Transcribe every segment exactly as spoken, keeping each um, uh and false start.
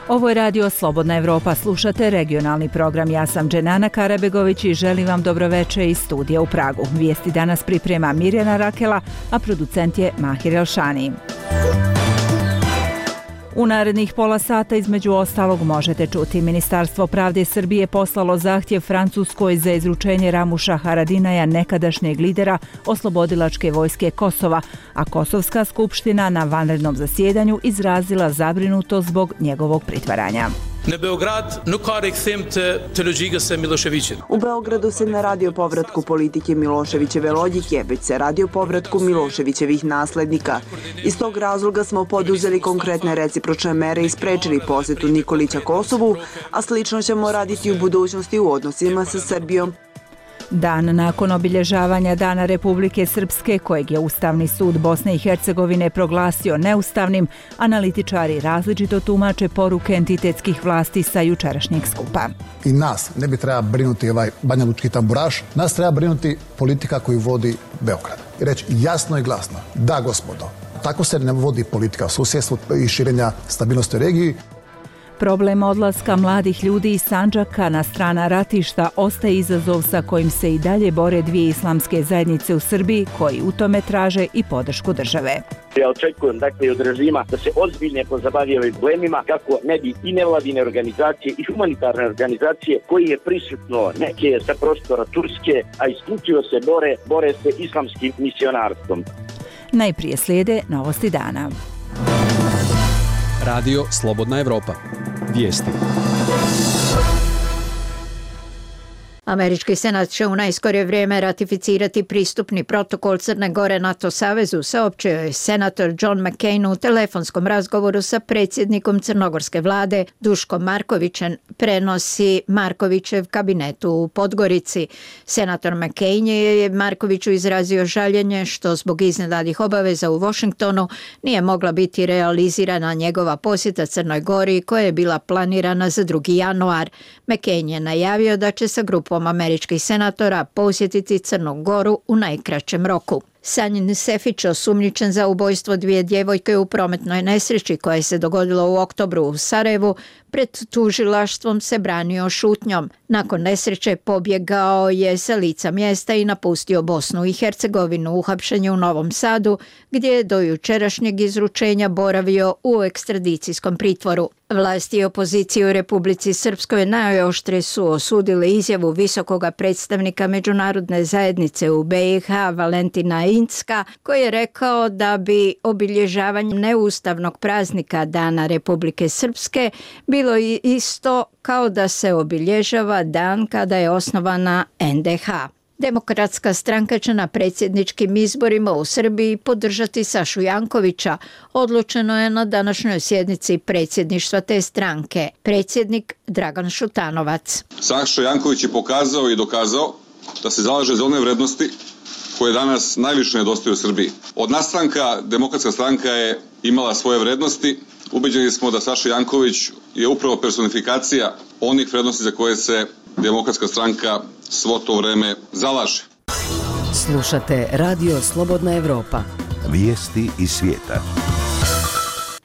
Ovo je radio Slobodna Evropa, slušate regionalni program. Ja sam Dženana Karabegović i želim vam dobroveče iz studija u Pragu. Vijesti danas priprema Mirjana Rakela, a producent je Mahir Elšani. U narednih pola sata između ostalog možete čuti: Ministarstvo pravde Srbije poslalo zahtjev Francuskoj za izručenje Ramuša Haradinaja, nekadašnjeg lidera oslobodilačke vojske Kosova, a Kosovska skupština na vanrednom zasjedanju izrazila zabrinutost zbog njegovog pritvaranja. U Beogradu se ne radi o povratku politike Miloševićeve logike, već se radi o povratku Miloševićevih naslednika. Iz tog razloga smo poduzeli konkretne recipročne mere i sprečili posjetu Nikolića Kosovu, a slično ćemo raditi u budućnosti u odnosima sa Srbijom. Dan nakon obilježavanja Dana Republike Srpske, kojeg je Ustavni sud Bosne i Hercegovine proglasio neustavnim, analitičari različito tumače poruke entitetskih vlasti sa jučerašnjeg skupa. I nas ne bi treba brinuti ovaj banjalučki tamburaš, nas treba brinuti politika koju vodi Beograd. I reći jasno i glasno: da, gospodo, tako se ne vodi politika u susjedstvu i širenja stabilnosti u regiji. Problem odlaska mladih ljudi iz Sandžaka na strana ratišta ostaje izazov sa kojim se i dalje bore dvije islamske zajednice u Srbiji, koji u tome traže i podršku države. Ja očekujem dakle od režima da se ozbiljno pozabavi ovim problemima, kako ne bi i nevladine organizacije i humanitarne organizacije koji je prisutno neke sa prostora Turske, a isključivo se bore, bore se islamskim misionarstvom. Najprije slijede novosti dana. Radio Slobodna Evropa. Vijesti. Američki senat će u najskorije vrijeme ratificirati pristupni protokol Crne Gore NATO savezu, saopćio je senator John McCain u telefonskom razgovoru sa predsjednikom crnogorske vlade Duškom Markovićem, prenosi Markovićev kabinet u Podgorici. Senator McCain je Markoviću izrazio žaljenje što zbog iznenadnih obaveza u Washingtonu nije mogla biti realizirana njegova posjeta Crnoj Gori koja je bila planirana za drugi januar. McCain je najavio da će sa grupom američkih senatora posjetiti Crnu Goru u najkraćem roku. Sanjin Sefić, osumnjičen za ubojstvo dvije djevojke u prometnoj nesreći koja je se dogodila u oktobru u Sarajevu, pred tužilaštvom se branio šutnjom. Nakon nesreće pobjegao je sa lica mjesta i napustio Bosnu i Hercegovinu. Uhapšen je u Novom Sadu, gdje je do jučerašnjeg izručenja boravio u ekstradicijskom pritvoru. Vlasti i opozicije u Republici Srpskoj najoštrije su osudili izjavu visokoga predstavnika međunarodne zajednice u be i ha Valentina Incka, koji je rekao da bi obilježavanje neustavnog praznika Dana Republike Srpske bilo isto kao da se obilježava dan kada je osnovana en de ha. Demokratska stranka će na predsjedničkim izborima u Srbiji podržati Sašu Jankovića, odlučeno je na današnjoj sjednici predsjedništva te stranke. Predsjednik Dragan Šutanovac. Saša Janković je pokazao i dokazao da se zalaže za one vrednosti koje danas najviše nedostaju u Srbiji. Od nastanka Demokratska stranka je imala svoje vrednosti. Ubeđeni smo da Saša Janković je upravo personifikacija onih vrednosti za koje se Demokratska stranka svo to vreme zalaže. Slušate Radio Slobodna Evropa. Vijesti iz svijeta.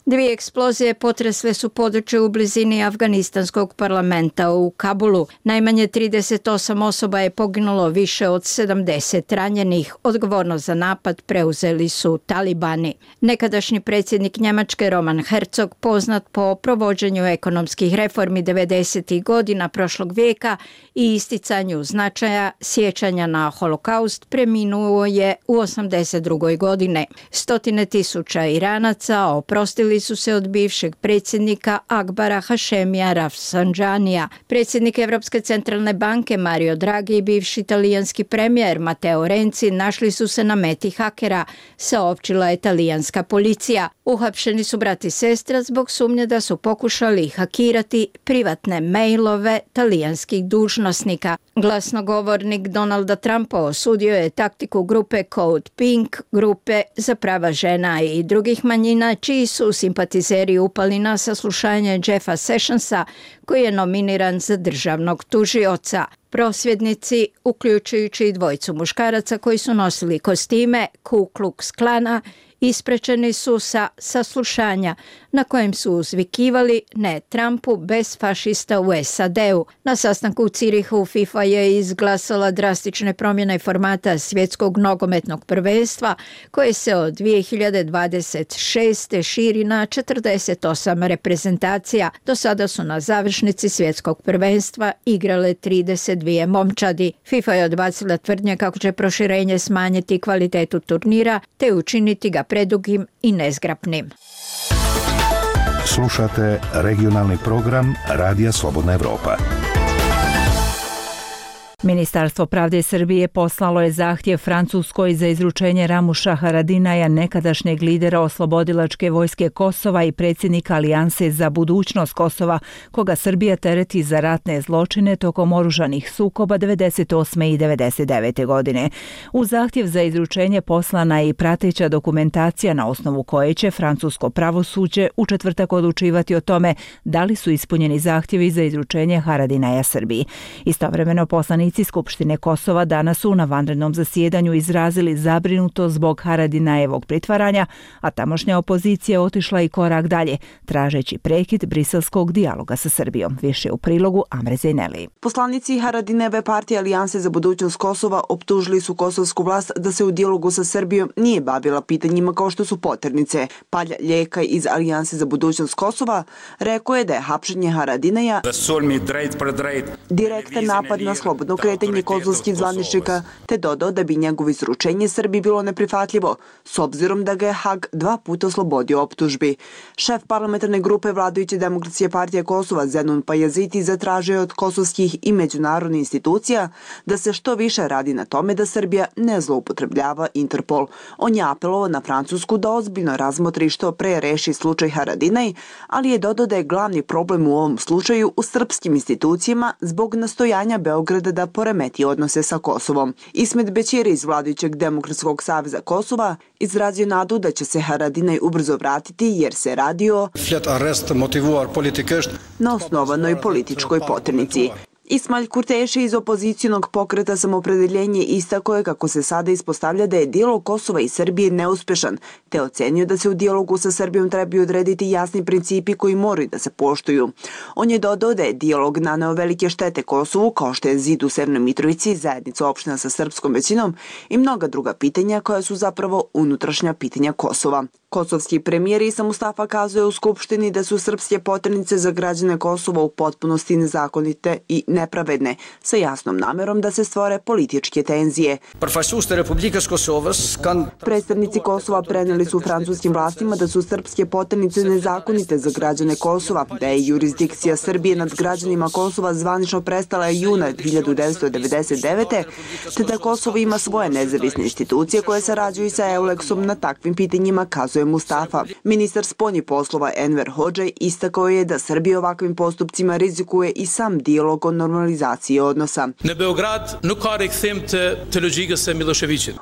Dvije eksplozije potresle su područje u blizini afganistanskog parlamenta u Kabulu. Najmanje trideset osam osoba je poginulo, više od sedamdeset ranjenih. Odgovornost za napad preuzeli su talibani. Nekadašnji predsjednik Njemačke Roman Herzog, poznat po provođenju ekonomskih reformi devedesetih godina prošlog vijeka i isticanju značaja sjećanja na holokaust, preminuo je u osamdeset drugoj godine. Stotine tisuća Iranaca oprostili su se od bivšeg predsjednika Akbara Hašemija Rafsanđanija. Predsjednik Evropske centralne banke Mario Draghi i bivši italijanski premijer Matteo Renzi našli su se na meti hakera, saopćila je talijanska policija. Uhapšeni su brat i sestra zbog sumnje da su pokušali hakirati privatne mailove talijanskih dužnosnika. Glasnogovornik Donalda Trumpa osudio je taktiku grupe Code Pink, grupe za prava žena i drugih manjina, čiji su simpatizeri upali na saslušanje Jeffa Sessionsa, koji je nominiran za državnog tužioca. Prosvjednici, uključujući i dvojicu muškaraca koji su nosili kostime Ku Klux Klana isprečeni su sa saslušanja na kojem su uzvikivali ne Trumpu bez fašista u S A D-u. Na sastanku u Cirihu FIFA je izglasala drastične promjene formata svjetskog nogometnog prvenstva koje se od dvije hiljade dvadeset šeste širi na četrdeset osam reprezentacija. Do sada su na završnici svjetskog prvenstva igrale trideset dvije momčadi. FIFA je odbacila tvrdnje kako će proširenje smanjiti kvalitetu turnira te učiniti ga predugim i nezgrapnim. Slušate regionalni program Radija Slobodna Evropa. Ministarstvo pravde Srbije poslalo je zahtjev Francuskoj za izručenje Ramuša Haradinaja, nekadašnjeg lidera oslobodilačke vojske Kosova i predsjednika Alijanse za budućnost Kosova, koga Srbija tereti za ratne zločine tokom oružanih sukoba devedeset osme i devedeset devete godine. U zahtjev za izručenje poslana je i prateća dokumentacija na osnovu koje će francusko pravosuđe u četvrtak odlučivati o tome da li su ispunjeni zahtjevi za izručenje Haradinaja Srbiji. Istovremeno poslanici Skupštine Kosova danas su na vanrednom zasjedanju izrazili zabrinutost zbog Haradinajevog pritvaranja, a tamošnja opozicija otišla i korak dalje, tražeći prekid briselskog dijaloga sa Srbijom. Više u prilogu Amre Zejneli. Poslanici Haradinajeve partije Alijanse za budućnost Kosova optužili su kosovsku vlast da se u dijalogu sa Srbijom nije bavila pitanjima kao što su poternice. Palja Ljekaj iz Alijanse za budućnost Kosova rekao je da je hapšenje Haradinaja direktan napad na slobodno kretanje kosovskih zvaničnika, te dodao da bi njegovo izručenje Srbiji bilo neprihvatljivo, s obzirom da ga je Hag dva puta oslobodio optužbi. Šef parlamentarne grupe vladajuće Demokratske partije Kosova Zenon Pajaziti zatražio od kosovskih i međunarodnih institucija da se što više radi na tome da Srbija ne zloupotrebljava Interpol. On je apelovao na Francusku da ozbiljno razmotri što pre reši slučaj Haradinaj, ali je dodao da je glavni problem u ovom slučaju u srpskim institucijama zbog nastojanja Beograda da poremeti odnose sa Kosovom. Ismet Bećiri iz vladajućeg Demokratskog saveza Kosova izrazio nadu da će se Haradinaj ubrzo vratiti jer se radi o na osnovanoj političkoj poternici. Ismail Kurteši iz opozicijonog pokreta Samopredeljenje istakao je kako se sada ispostavlja da je dijalog Kosova i Srbije neuspešan, te ocenio da se u dijalogu sa Srbijom trebaju odrediti jasni principi koji moraju da se poštuju. On je dodao da je dijalog naneo velike štete Kosovu, kao što je zid u Severnoj Mitrovici, zajednica opština sa srpskom većinom i mnoga druga pitanja koja su zapravo unutrašnja pitanja Kosova. Kosovski premijer Isa Mustafa kazuje u Skupštini da su srpske poternice za građane Kosova u potpunosti nezakonite i nepravedne, sa jasnom namerom da se stvore političke tenzije. Predstavnici Kosova preneli su francuskim vlastima da su srpske poternice nezakonite za građane Kosova, da je jurisdikcija Srbije nad građanima Kosova zvanično prestala juna hiljadu devetsto devedeset devete. te da Kosovo ima svoje nezavisne institucije koje sarađuju sa Euleksom na takvim pitanjima, kazuje Mustafa. Ministar spoljnih poslova Enver Hodžaj istakao je da Srbija ovakvim postupcima rizikuje i sam dijalog o normalizaciji odnosa.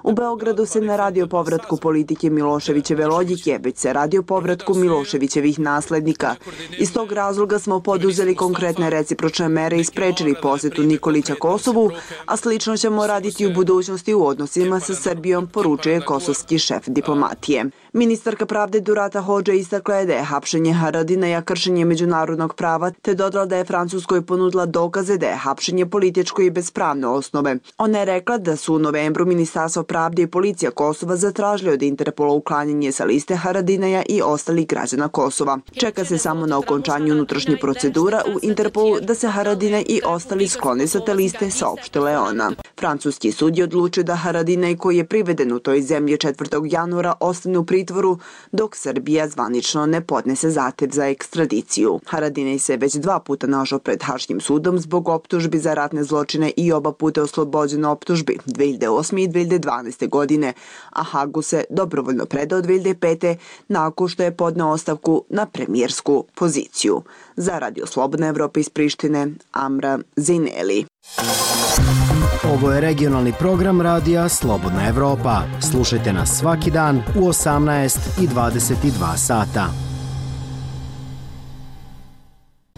U Beogradu se ne radi o povratku politike Miloševićeve logike, već se radi o povratku Miloševićevih naslednika. Iz tog razloga smo poduzeli konkretne recipročne mere i sprečili posjetu Nikolića Kosovu, a slično ćemo raditi u budućnosti u odnosima sa Srbijom, poručuje kosovski šef diplomatije. Ministarka pravde Durata Hodža istakla je da je hapšenje Haradinaja kršenje međunarodnog prava, te dodala da je Francuskoj ponudila dokaze da je hapšenje političko i bez pravne osnove. Ona je rekla da su u novembru Ministarstvo pravde i policija Kosova zatražili od Interpola uklanjanje sa liste Haradinaja i ostalih građana Kosova. Čeka se samo na okončanju unutrašnjih procedura u Interpolu da se Haradinaj i ostali sklone sa te liste, saopštila je ona. Francuski sud je odlučio da Haradinaj, koji je priveden u toj zemlji četvrtog januara, ostane u pritvoru dok Srbija zvanično ne podnese zahtev za ekstradiciju. Haradinaj se već dva puta našao pred Haškim sudom zbog optužbi za ratne zločine i oba puta oslobođen optužbi dve hiljade osme i dve hiljade dvanaeste. godine, a Hagu se dobrovoljno predao dve hiljade pete. nakon što je podneo ostavku na premijersku poziciju. Za Radio Slobodna Evropa iz Prištine, Amra Zejneli. Ovo je regionalni program Radija Slobodna Evropa. Slušajte nas svaki dan u osamnaest i dvadeset dva sata.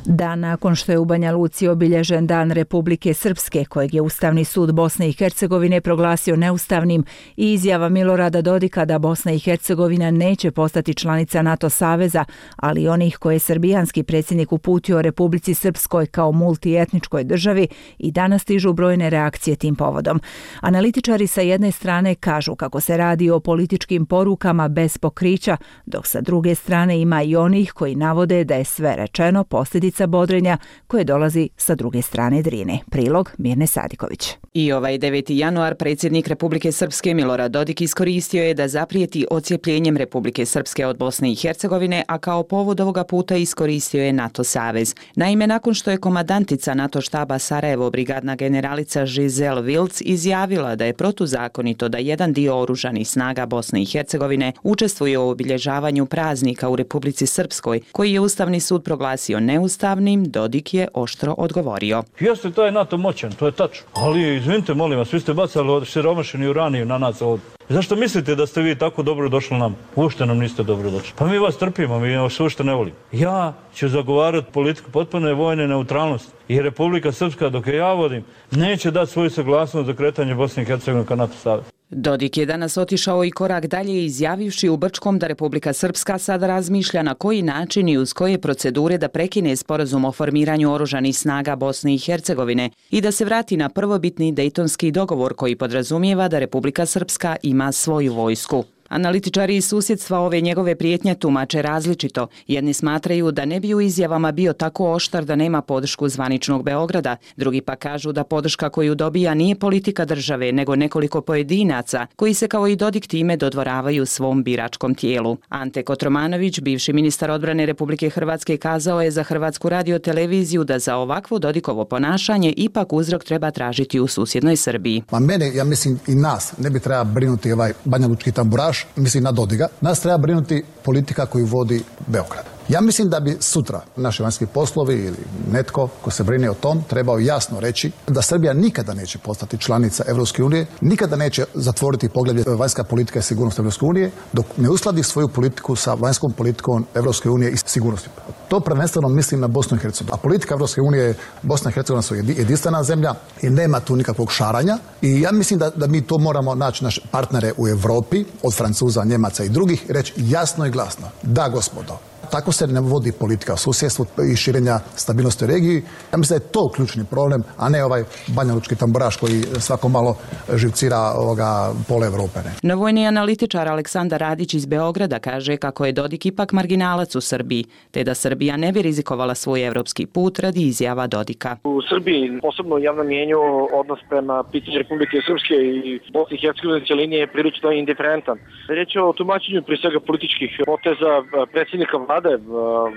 Dan nakon što je u Banja Luci obilježen Dan Republike Srpske, kojeg je Ustavni sud Bosne i Hercegovine proglasio neustavnim, i izjava Milorada Dodika da Bosna i Hercegovina neće postati članica NATO saveza, ali i onih koje je srbijanski predsjednik uputio Republici Srpskoj kao multietničkoj državi, i danas stižu brojne reakcije tim povodom. Analitičari sa jedne strane kažu kako se radi o političkim porukama bez pokrića, dok sa druge strane ima i onih koji navode da je sve rečeno posljedica bodrenja koje dolazi sa druge strane Drine. Prilog Mirne Sadiković. I ovaj deveti januar predsjednik Republike Srpske Milorad Dodik iskoristio je da zaprijeti odcijepljenjem Republike Srpske od Bosne i Hercegovine, a kao povod ovoga puta iskoristio je NATO savez. Naime, nakon što je komandantica NATO štaba Sarajevo brigadna generalica Giselle Wilds izjavila da je protuzakonito da jedan dio oružanih snaga Bosne i Hercegovine učestvuje u obilježavanju praznika u Republici Srpskoj, koji je Ustavni sud proglasio neustavnim, Dodik je oštro odgovorio. Jeste, to je NATO moćan, to je tačno. Ali, izvinite, molim vas, vi ste bacali siromašeni uraniju na nas ovdje. Zašto mislite da ste vi tako dobro došli nam? Uopšte nam niste dobro došli. Pa mi vas trpimo, mi vas uopšte ne volimo. Ja ću zagovarati politiku potpune vojne neutralnosti i Republika Srpska, dok je ja vodim, neće dati svoju saglasnost za kretanje Bosne i Hercegovine ka NATO savezu. Dodik je danas otišao i korak dalje, izjavivši u Brčkom da Republika Srpska sada razmišlja na koji način i uz koje procedure da prekine sporazum o formiranju oružanih snaga Bosne i Hercegovine i da se vrati na prvobitni Dejtonski dogovor koji podrazumijeva da Republika Srpska ima svoju vojsku. Analitičari iz susjedstva ove njegove prijetnje tumače različito. Jedni smatraju da ne bi u izjavama bio tako oštar da nema podršku zvaničnog Beograda, drugi pa kažu da podrška koju dobija nije politika države, nego nekoliko pojedinaca koji se kao i Dodik time dodvoravaju svom biračkom tijelu. Ante Kotromanović, bivši ministar odbrane Republike Hrvatske, kazao je za Hrvatsku radioteleviziju da za ovakvo Dodikovo ponašanje ipak uzrok treba tražiti u susjednoj Srbiji. Ma mene, ja mislim i nas, ne bi treba brinuti ovaj banjalučki tamburaš, mislim na Dodiga. Nas treba brinuti politika koju vodi Beograd. Ja mislim da bi sutra naši vanjski poslovi ili netko ko se brine o tom trebao jasno reći da Srbija nikada neće postati članica Evropske unije, nikada neće zatvoriti poglavlje vanjska politika i sigurnost Evropske unije dok ne uskladi svoju politiku sa vanjskom politikom Evropske unije i sigurnosti. To prvenstveno mislim na Bosnu i Hercegovinu. A politika Evropske unije, Bosna i Hercegovina su jedinstvena zemlja i nema tu nikakvog šaranja. I ja mislim da, da mi to moramo naći naše partnere u Europi, od Francuza, Njemaca i drugih, reći jasno i glasno. Da, gospodo, tako se ne vodi politika u susjedstvu i širenja stabilnosti u regiji. Ja mislim da je to ključni problem, a ne ovaj banjalučki tamburaš koji svako malo živcira ovoga pola Evrope. Ne. No vojni analitičar Aleksandar Radić iz Beograda kaže kako je Dodik ipak marginalac u Srbiji, te da Srbija ne bi rizikovala svoj evropski put radi izjava Dodika. U Srbiji, posebno u javnom mjenju, odnos prema pitanju Republike Srpske i Bosne i Hercegovine cijeline je prilično indiferentan. Riječ je o tumačenju prije svega političkih poteza predsjednika vlade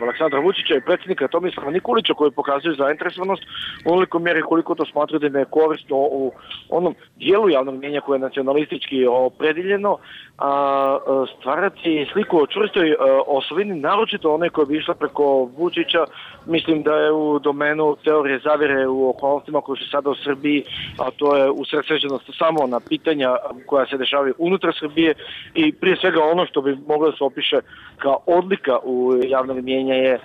Aleksandra Vučića i predsjednika Tomislava Nikolića koji pokazuju zainteresovanost u onoliko mjeri koliko to smatraju da je korisno u onom dijelu javnog mjenja koje je nacionalistički opredeljeno, a stvarati sliku o čvrstoj osovini, naročito one koje bi išla preko Vučića, mislim da je u domenu teorije zavjere u okolnostima koje su sada u Srbiji, a to je usredsređenost samo na pitanja koja se dešavaju unutar Srbije i prije svega ono što bi moglo da se opiše kao odlika u javnog mjenja je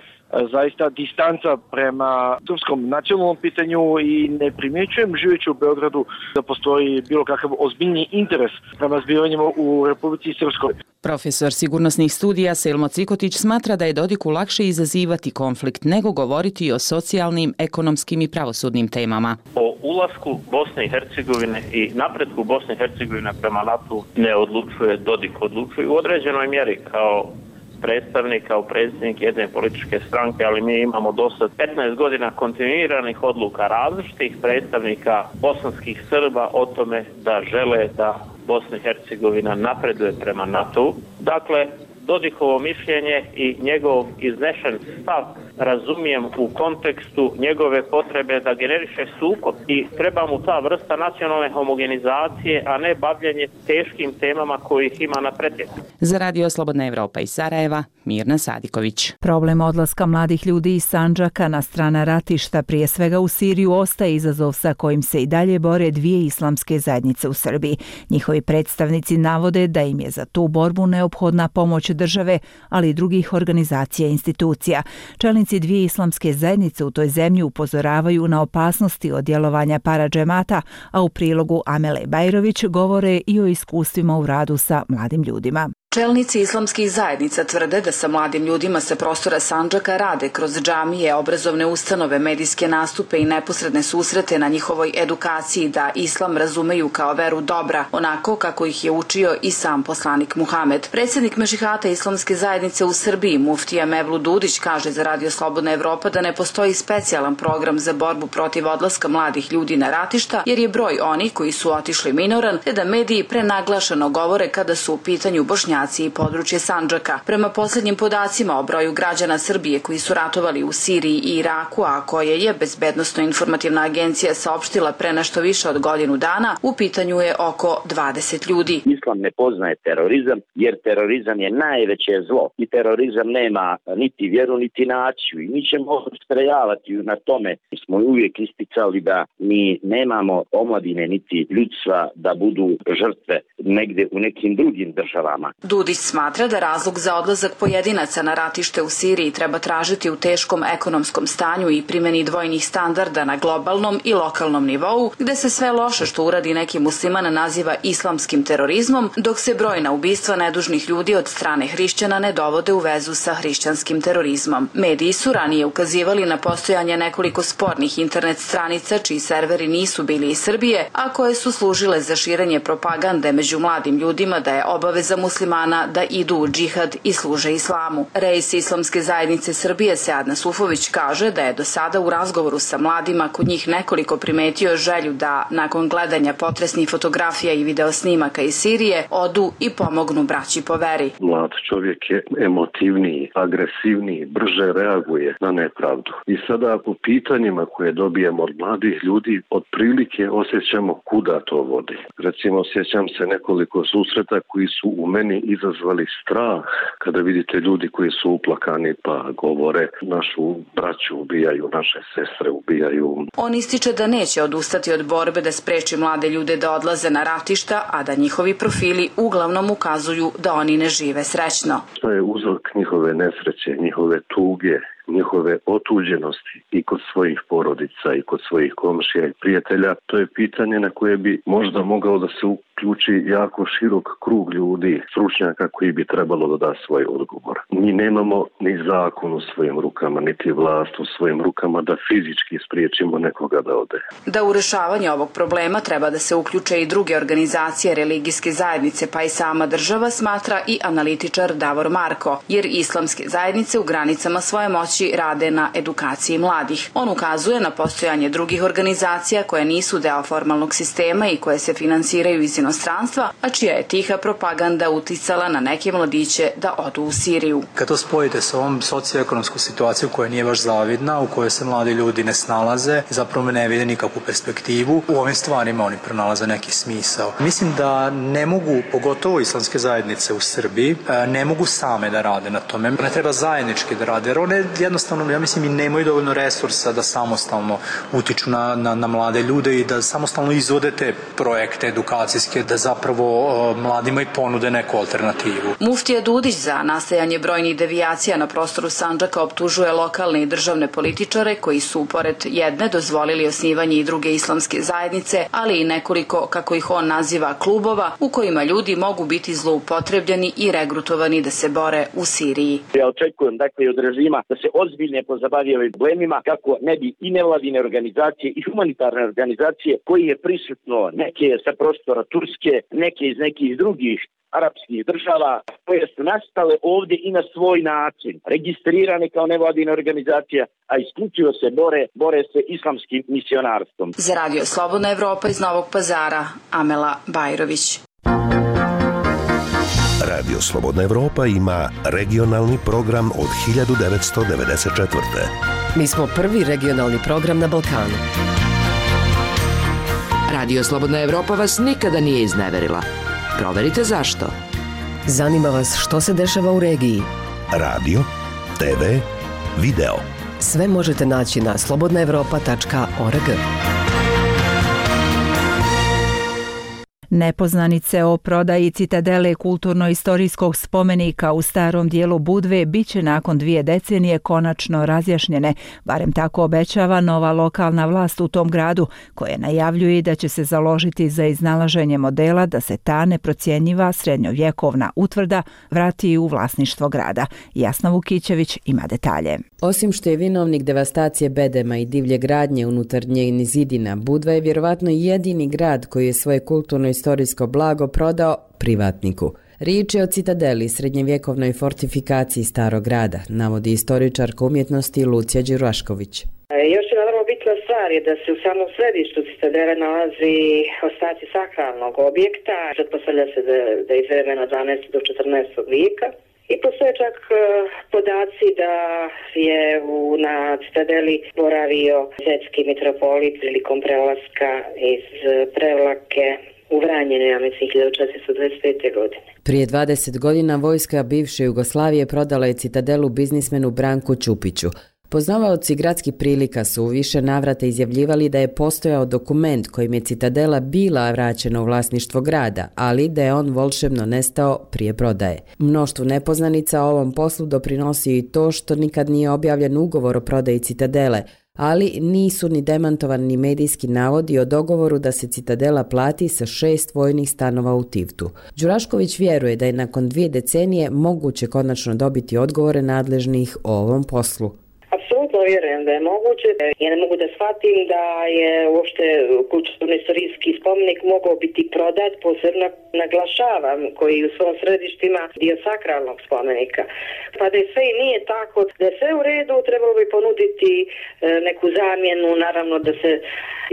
zaista distanca prema srpskom nacionalnom pitanju i ne primjećujem živeći u Beogradu da postoji bilo kakav ozbiljni interes prema zbivanjima u Republici Srpskoj. Profesor sigurnosnih studija Selmo Cikotić smatra da je Dodiku lakše izazivati konflikt nego govoriti o socijalnim, ekonomskim i pravosudnim temama. O ulasku Bosne i Hercegovine i napretku Bosne i Hercegovine prema NATO ne odlučuje Dodik, odlučuje u određenoj mjeri kao predstavnik, kao predsjednik jedne političke stranke, ali mi imamo do sad petnaest godina kontinuiranih odluka različitih predstavnika bosanskih Srba o tome da žele da Bosna i Hercegovina napreduje prema NATO. Dakle, Dodikovo mišljenje i njegov iznešen stav razumijem u kontekstu njegove potrebe da generiše sukob i treba mu ta vrsta nacionalne homogenizacije, a ne bavljenje teškim temama kojih ima na pretjek. Za Radio Slobodna Evropa iz Sarajeva, Mirna Sadiković. Problem odlaska mladih ljudi iz Sandžaka na strana ratišta, prije svega u Siriju, ostaje izazov sa kojim se i dalje bore dvije islamske zajednice u Srbiji. Njihovi predstavnici navode da im je za tu borbu neophodna pomoć države, ali i drugih organizacija i institucija. Čelnici Čelnici dvije islamske zajednice u toj zemlji upozoravaju na opasnosti od djelovanja paradžemata, a u prilogu Amele Bajrović govore i o iskustvima u radu sa mladim ljudima. Čelnici islamskih zajednica tvrde da sa mladim ljudima sa prostora Sandžaka rade kroz džamije, obrazovne ustanove, medijske nastupe i neposredne susrete na njihovoj edukaciji da islam razumeju kao veru dobra, onako kako ih je učio i sam poslanik Muhamed. Predsjednik Mešihata islamske zajednice u Srbiji, muftija Mevlut Dudić, kaže za Radio Slobodna Evropa da ne postoji specijalan program za borbu protiv odlaska mladih ljudi na ratišta, jer je broj onih koji su otišli minoran, te da mediji prenaglašeno govore kada su u pitanju Bošnjaci i područje Sandžaka. Prema posljednjim podacima o broju građana Srbije koji su ratovali u Siriji i Iraku, a koje je Bezbednosno-informativna agencija saopštila pre nešto više od godinu dana, u pitanju je oko dvadeset ljudi. Islam ne poznaje terorizam, jer terorizam je najveće zlo i terorizam nema niti vjeru niti naciju i mi ćemo ustrajavati na tome. Mi smo uvijek isticali da mi nemamo omladine niti ljudstva da budu žrtve negdje u nekim drugim državama. Dudić smatra da razlog za odlazak pojedinaca na ratište u Siriji treba tražiti u teškom ekonomskom stanju i primjeni dvojnih standarda na globalnom i lokalnom nivou, gde se sve loše što uradi neki musliman naziva islamskim terorizmom, dok se brojna ubistva nedužnih ljudi od strane hrišćana ne dovode u vezu sa hrišćanskim terorizmom. Mediji su ranije ukazivali na postojanje nekoliko spornih internet stranica čiji serveri nisu bili iz Srbije, a koje su služile za širenje propagande među mladim ljudima da je obaveza muslimana da idu u džihad i služe islamu. Reis Islamske zajednice Srbije Seadna Sufović kaže da je do sada u razgovoru sa mladima kod njih nekoliko primetio želju da nakon gledanja potresnih fotografija i videosnimaka iz Sirije odu i pomognu braći po veri. Mlad čovjek je emotivniji, agresivniji, brže reaguje na nepravdu. I sada po pitanjima koje dobijemo od mladih ljudi otprilike osjećamo kuda to vodi. Recimo osjećam se nekoliko susreta koji su u meni izazvali strah kada vidite ljudi koji su uplakani pa govore našu braću ubijaju, naše sestre ubijaju. On ističe da neće odustati od borbe da spreči mlade ljude da odlaze na ratišta, a da njihovi profili uglavnom ukazuju da oni ne žive srećno. Šta je uzrok njihove nesreće, njihove tuge, njihove otuđenosti i kod svojih porodica i kod svojih komšija i prijatelja, to je pitanje na koje bi možda mogao da se uključi jako širok krug ljudi, stručnjaka koji bi trebalo da da svoj odgovor. Mi nemamo ni zakon u svojim rukama, niti vlast u svojim rukama da fizički spriječimo nekoga da ode. Da u rešavanje ovog problema treba da se uključe i druge organizacije religijske zajednice, pa i sama država, smatra i analitičar Davor Marko, jer islamske zajednice u granicama svoje moći rade na edukaciji mladih. On ukazuje na postojanje drugih organizacija koje nisu deo formalnog sistema i koje se finansiraju iz inostranstva, a čija je tiha propaganda uticala na neke mladiće da odu u Siriju. Kad to spojite sa ovom socioekonomskom situacijom koja nije baš zavidna, u kojoj se mladi ljudi ne snalaze, zapravo ne vide nikakvu perspektivu, u ovim stvarima oni pronalaze neki smisao. Mislim da ne mogu, pogotovo islamske zajednice u Srbiji, ne mogu same da rade na tome. Ne treba zajednički da rade, jer one jednostavno, ja mislim, i nemaju dovoljno resursa da samostalno utiču na, na, na mlade ljude i da samostalno izvode te projekte edukacijske, da zapravo o, mladima i ponude neku alternativu. Muftija Dudić za nastajanje brojnih devijacija na prostoru Sandžaka optužuje lokalne i državne političare koji su pored jedne dozvolili osnivanje i druge islamske zajednice, ali i nekoliko, kako ih on naziva, klubova u kojima ljudi mogu biti zloupotrebljeni i regrutovani da se bore u Siriji. Ja očekujem dakle od režima da se ozbiljne pozabavi ovim problemima kako ne bi i nevladine organizacije i humanitarne organizacije koji je prisutno neke sa prostora Turske, neke iz nekih drugih arapskih država koje su nastale ovdje i na svoj način, registrirane kao nevladine organizacije, a isključivo se bore, bore se islamskim misionarstvom. Za Radio Slobodna Evropa iz Novog Pazara, Amela Bajrović. Radio Slobodna Evropa ima regionalni program od hiljadu devetsto devedeset četvrte. Mi smo prvi regionalni program na Balkanu. Radio Slobodna Evropa vas nikada nije izneverila. Proverite zašto. Zanima vas što se dešava u regiji. Radio, te ve, video. Sve možete naći na slobodna evropa tačka org. Nepoznanice o prodaji Citadele kulturno-istorijskog spomenika u starom dijelu Budve biće nakon dvije decenije konačno razjašnjene, barem tako obećava nova lokalna vlast u tom gradu, koja najavljuje da će se založiti za iznalaženje modela da se ta neprocjenjiva srednjovjekovna utvrda vrati u vlasništvo grada. Jasna Vukićević ima detalje. Osim što je vinovnik devastacije bedema i divlje gradnje unutar njenih zidina, Budva je vjerovatno jedini grad koji je svoje kulturno-istorijsko blago prodao privatniku. Riječ je o Citadeli, srednjevjekovnoj fortifikaciji starog grada, navodi istoričarka umjetnosti Lucija Đurašković. Još jedna vrlo bitna stvar je da se u samom središtu Citadele nalazi ostaci sakralnog objekta. Pretpostavlja se da, da je iz vremena dvanaestog do četrnaestog vijeka. I postoje čak podaci da je u, na Citadeli boravio zetski mitropolit prilikom prelaska iz Prevlake u Vranjene, ja mislim, hiljadu četiristo dvadeset pete. godine. Prije dvadeset godina vojska bivše Jugoslavije prodala je Citadelu biznismenu Branku Ćupiću. Poznavaoci gradskih prilika su u više navrata izjavljivali da je postojao dokument kojim je Citadela bila vraćena u vlasništvo grada, ali da je on volšebno nestao prije prodaje. Mnoštvu nepoznanica o ovom poslu doprinosi i to što nikad nije objavljen ugovor o prodaji Citadele, ali nisu ni demantovani ni medijski navodi o dogovoru da se Citadela plati sa šest vojnih stanova u Tivtu. Đurašković vjeruje da je nakon dvije decenije moguće konačno dobiti odgovore nadležnih o ovom poslu. Apsolutno vjerujem da je moguće. Ja ne mogu da shvatim da je uopšte kulturno-istorijski spomenik mogao biti prodat, posebno naglašavam, koji u svom središtu ima dio sakralnog spomenika. Pa da je sve i nije tako, da je sve u redu, trebalo bi ponuditi neku zamjenu, naravno da se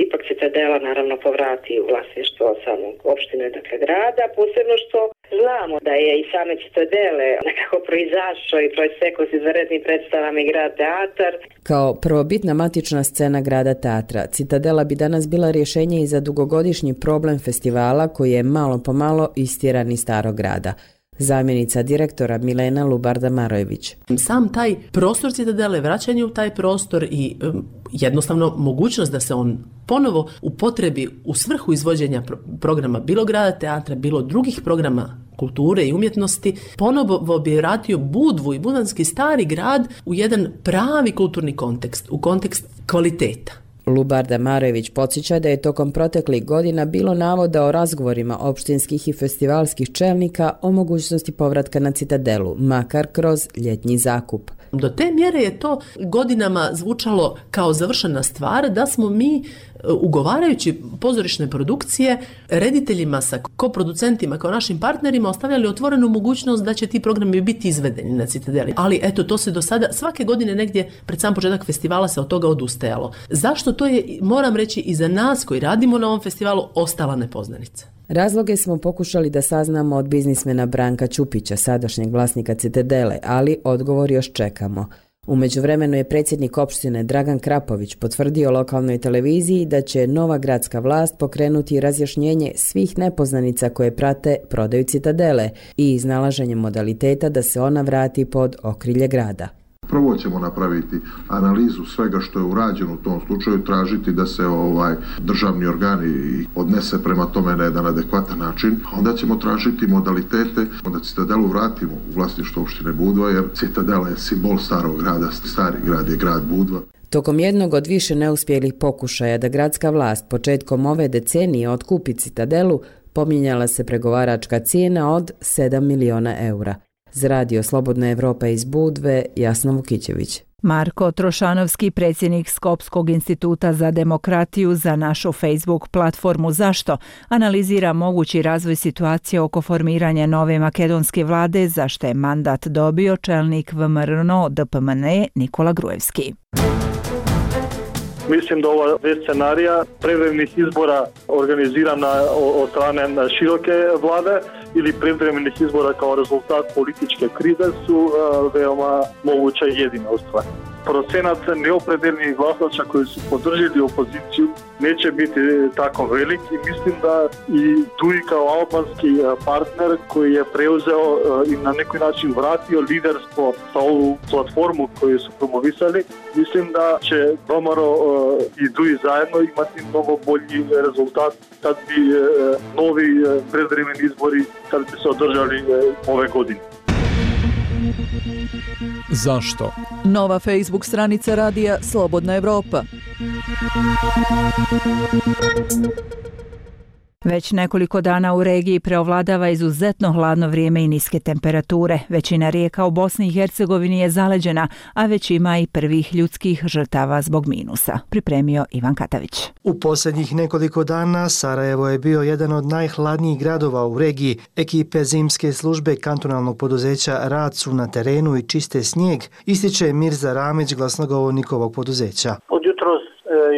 ipak Citadela naravno povrati u vlasništvo samog opštine, dakle grada, posebno što znamo da je i same Citadele nekako proizašao i proistekao s izvanrednim predstavama i grad teatar. Kao prvobitna matična scena grada teatra, Citadela bi danas bila rješenje i za dugogodišnji problem festivala koji je malo po malo istjeran iz starog grada. Zamjenica direktora Milena Lubarda-Marojević. Sam taj prostor Citadele, vraćanje u taj prostor i um, jednostavno mogućnost da se on ponovo upotrebi u svrhu izvođenja pro- programa bilo grada teatra, bilo drugih programa kulture i umjetnosti, ponovo bi vratio Budvu i budanski stari grad u jedan pravi kulturni kontekst, u kontekst kvaliteta. Lubarda Marojević podsjeća da je tokom proteklih godina bilo navoda o razgovorima opštinskih i festivalskih čelnika o mogućnosti povratka na Citadelu, makar kroz ljetnji zakup. Do te mjere je to godinama zvučalo kao završena stvar da smo mi, ugovarajući pozorišne produkcije, rediteljima sa koproducentima kao našim partnerima ostavljali otvorenu mogućnost da će ti programi biti izvedeni na Citadeli. Ali eto, to se do sada svake godine negdje pred sam početak festivala se od toga odustajalo. Zašto? To je, moram reći, i za nas koji radimo na ovom festivalu ostala nepoznanica. Razloge smo pokušali da saznamo od biznismena Branka Ćupića, sadašnjeg vlasnika Citadele, ali odgovor još čekamo. U međuvremenu je predsjednik opštine Dragan Krapović potvrdio lokalnoj televiziji da će nova gradska vlast pokrenuti razjašnjenje svih nepoznanica koje prate prodaju Citadele i iznalaženje modaliteta da se ona vrati pod okrilje grada. Prvo ćemo napraviti analizu svega što je urađeno u tom slučaju, tražiti da se ovaj državni organi odnese prema tome na jedan adekvatan način. Onda ćemo tražiti modalitete da Citadelu vratimo u vlasništvo opštine Budva, jer Citadela je simbol starog grada, stari grad je grad Budva. Tokom jednog od više neuspjelih pokušaja da gradska vlast početkom ove decenije otkupi Citadelu, pominjala se pregovaračka cijena od sedam miliona eura. Za radio Slobodna Evropa iz Budve, Jasna Vukićević. Marko Trošanovski, predsjednik Skopskog instituta za demokratiju, za našu Facebook platformu Zašto, analizira mogući razvoj situacije oko formiranja nove makedonske vlade, za što je mandat dobio čelnik V M R N O D P M N E Nikola Grujevski. Mislim da ova dve scenarija privremenih izbora organizirana od strane široke vlade ili privremenih izbora kao rezultat političke krize su veoma moguća i jedina u stvari. procenat neopredeljenih glasača koji su podržili opoziciju neće biti tako velik i mislim da i Dui kao albanski partner koji je preuzeo i na neki način vratio liderstvo sa ovu platformu koju su promovisali, mislim da će Domaro i Dui zajedno imati mnogo bolji rezultat kad bi novi predvremeni izbori kad bi se održali ove godine. Zašto? Nova Facebook stranica radija Slobodna Evropa. Već nekoliko dana u regiji preovladava izuzetno hladno vrijeme i niske temperature. Većina rijeka u Bosni i Hercegovini je zaleđena, a već ima i prvih ljudskih žrtava zbog minusa. Pripremio Ivan Katavić. U posljednjih nekoliko dana Sarajevo je bio jedan od najhladnijih gradova u regiji. Ekipe zimske službe kantonalnog poduzeća rad su na terenu i čiste snijeg, ističe Mirza Ramić, glasnogovornik ovog poduzeća. Od jutros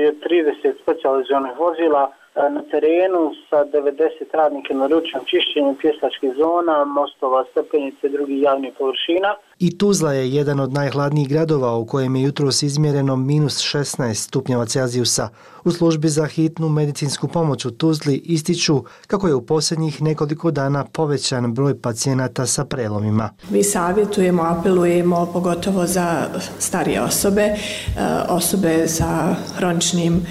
je trideset specijalizovanih vozila na terenu sa devedeset radnika na ručnom čišćenju pješačkih zona, mostova, stepenice i drugih javnih površina. I Tuzla je jedan od najhladnijih gradova u kojem je jutros izmjereno minus šesnaest stupnjeva Celzijusa. U službi za hitnu medicinsku pomoć u Tuzli ističu kako je u posljednjih nekoliko dana povećan broj pacijenata sa prelomima. Mi savjetujemo, apelujemo pogotovo za starije osobe, osobe sa hroničnim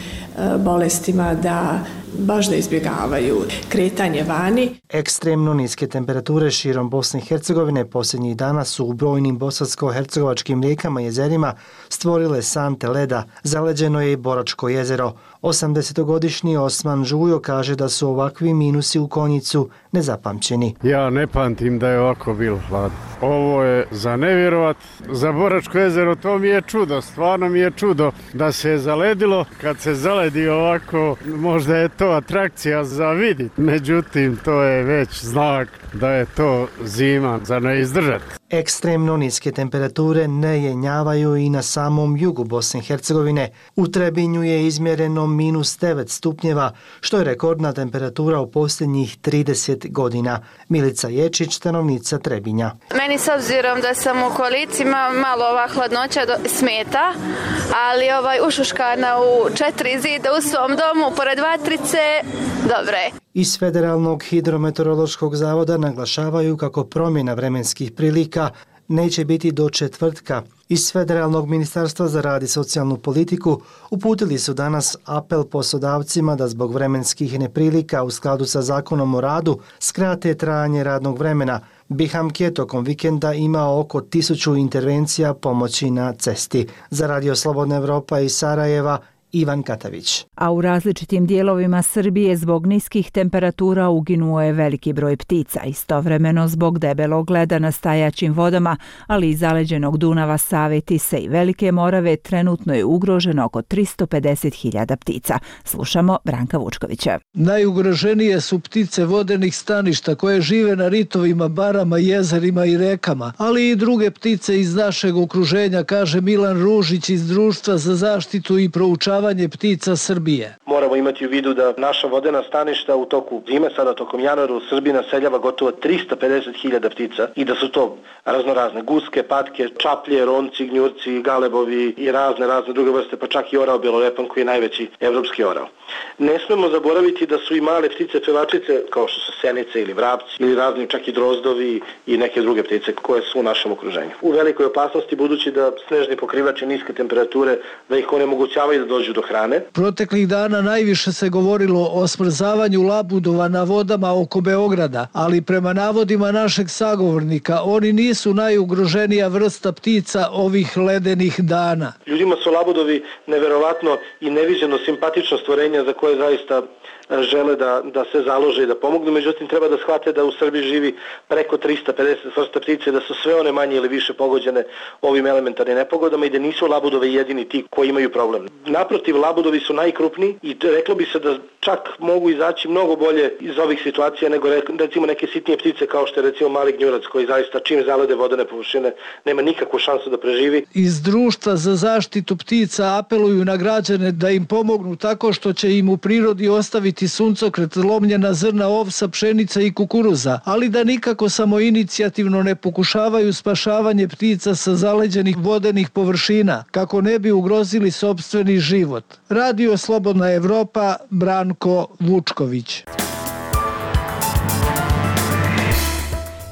bolestima da baš da izbjegavaju kretanje vani. Ekstremno niske temperature širom Bosne i Hercegovine posljednjih dana su u brojnim bosansko-hercegovačkim rijekama i jezerima stvorile sante leda. Zaleđeno je i Boračko jezero. osamdesetogodišnji Osman Žujo kaže da su ovakvi minusi u Konjicu nezapamćeni. Ja ne pamtim da je ovako bilo hladno. Ovo je za nevjerovat. Za Boračko jezero to mi je čudo, stvarno mi je čudo da se je zaledilo. Kad se zaledi ovako, možda je to atrakcija za vidit. Međutim, to je već znak da je to zima za ne izdržati. Ekstremno niske temperature ne jenjavaju i na samom jugu Bosne i Hercegovine. U Trebinju je izmjereno minus devet stupnjeva, što je rekordna temperatura u posljednjih trideset godina. Milica Ječić, stanovnica Trebinja. Meni s obzirom da sam u koaliciji malo ova hladnoća smeta, ali ovaj ušuškana u četiri zida u svom domu pored vatrice, dobre. Iz Federalnog hidrometeorološkog zavoda naglašavaju kako promjena vremenskih prilika neće biti do četvrtka. Iz Federalnog ministarstva za rad i socijalnu politiku uputili su danas apel poslodavcima da zbog vremenskih neprilika u skladu sa zakonom o radu skrate trajanje radnog vremena. Biham je tokom vikenda imao oko tisuću intervencija pomoći na cesti. Za Radio Slobodna Evropa iz Sarajeva, Ivan Katavić. A u različitim dijelovima Srbije zbog niskih temperatura uginuo je veliki broj ptica. Istovremeno zbog debelog leda na stajaćim vodama, ali i zaleđenog Dunava, Save, Tise i Velike Morave trenutno je ugroženo oko tristo pedeset hiljada ptica. Slušamo Branka Vučkovića. Najugroženije su ptice vodenih staništa koje žive na ritovima, barama, jezerima i rekama, ali i druge ptice iz našeg okruženja, kaže Milan Ružić iz Društva za zaštitu i proučavanje ptica Srbije. Moramo imati u vidu da naša vodena staništa u toku zime, sada tokom januara u Srbiji naseljava gotovo tristo pedeset hiljada ptica i da su to raznorazne guske, patke, čaplje, ronci, gnjurci, galebovi i razne razne druge vrste, pa čak i orao belorepan koji je najveći evropski orao. Ne smemo zaboraviti da su i male ptice pevačice kao što su senice ili vrapci ili razni čak i drozdovi i neke druge ptice koje su u našem okruženju. U velikoj opasnosti budući da snežni pokrivači niske temperature da ih onemogućavaju da dođu do hrane. Proteklih dana najviše se govorilo o smrzavanju labudova na vodama oko Beograda, ali prema navodima našeg sagovornika oni nisu najugroženija vrsta ptica ovih ledenih dana. Ljudima su labudovi neverovatno i neviđeno simpatično stvorenje za koje zaista žele da, da se založe i da pomognu, međutim treba da shvate da u Srbiji živi preko tristo pedeset vrsta ptice, da su sve one manje ili više pogođene ovim elementarnim nepogodama i da nisu labudovi jedini ti koji imaju problem. Naprotiv, labudovi su najkrupniji i reklo bi se da čak mogu izaći mnogo bolje iz ovih situacija nego recimo neke sitnije ptice kao što je recimo mali gnjurac koji zaista čim zalede vodene površine nema nikakvu šansu da preživi. Iz Društva za zaštitu ptica apeluju na građane da im pomognu tako što će im u prirodi ostaviti staviti suncokret, lomljena zrna ovsa, pšenica i kukuruza, ali da nikako samoinicijativno ne pokušavaju spašavanje ptica sa zaleđenih vodenih površina, kako ne bi ugrozili sopstveni život. Radio Slobodna Evropa, Branko Vučković.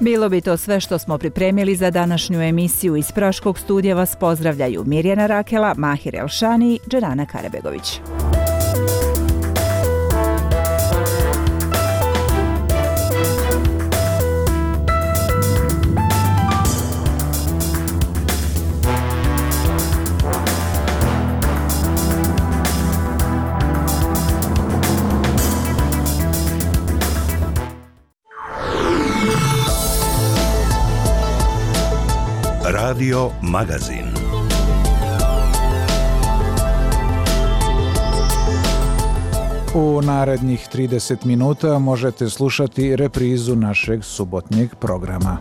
Bilo bi to sve što smo pripremili za današnju emisiju. Iz Praškog studija vas pozdravljaju Mirjana Rakela, Mahir Elšani i Dženana Karabegović. Radio Magazin. U narednih trideset minuta možete slušati reprizu našeg subotnjeg programa.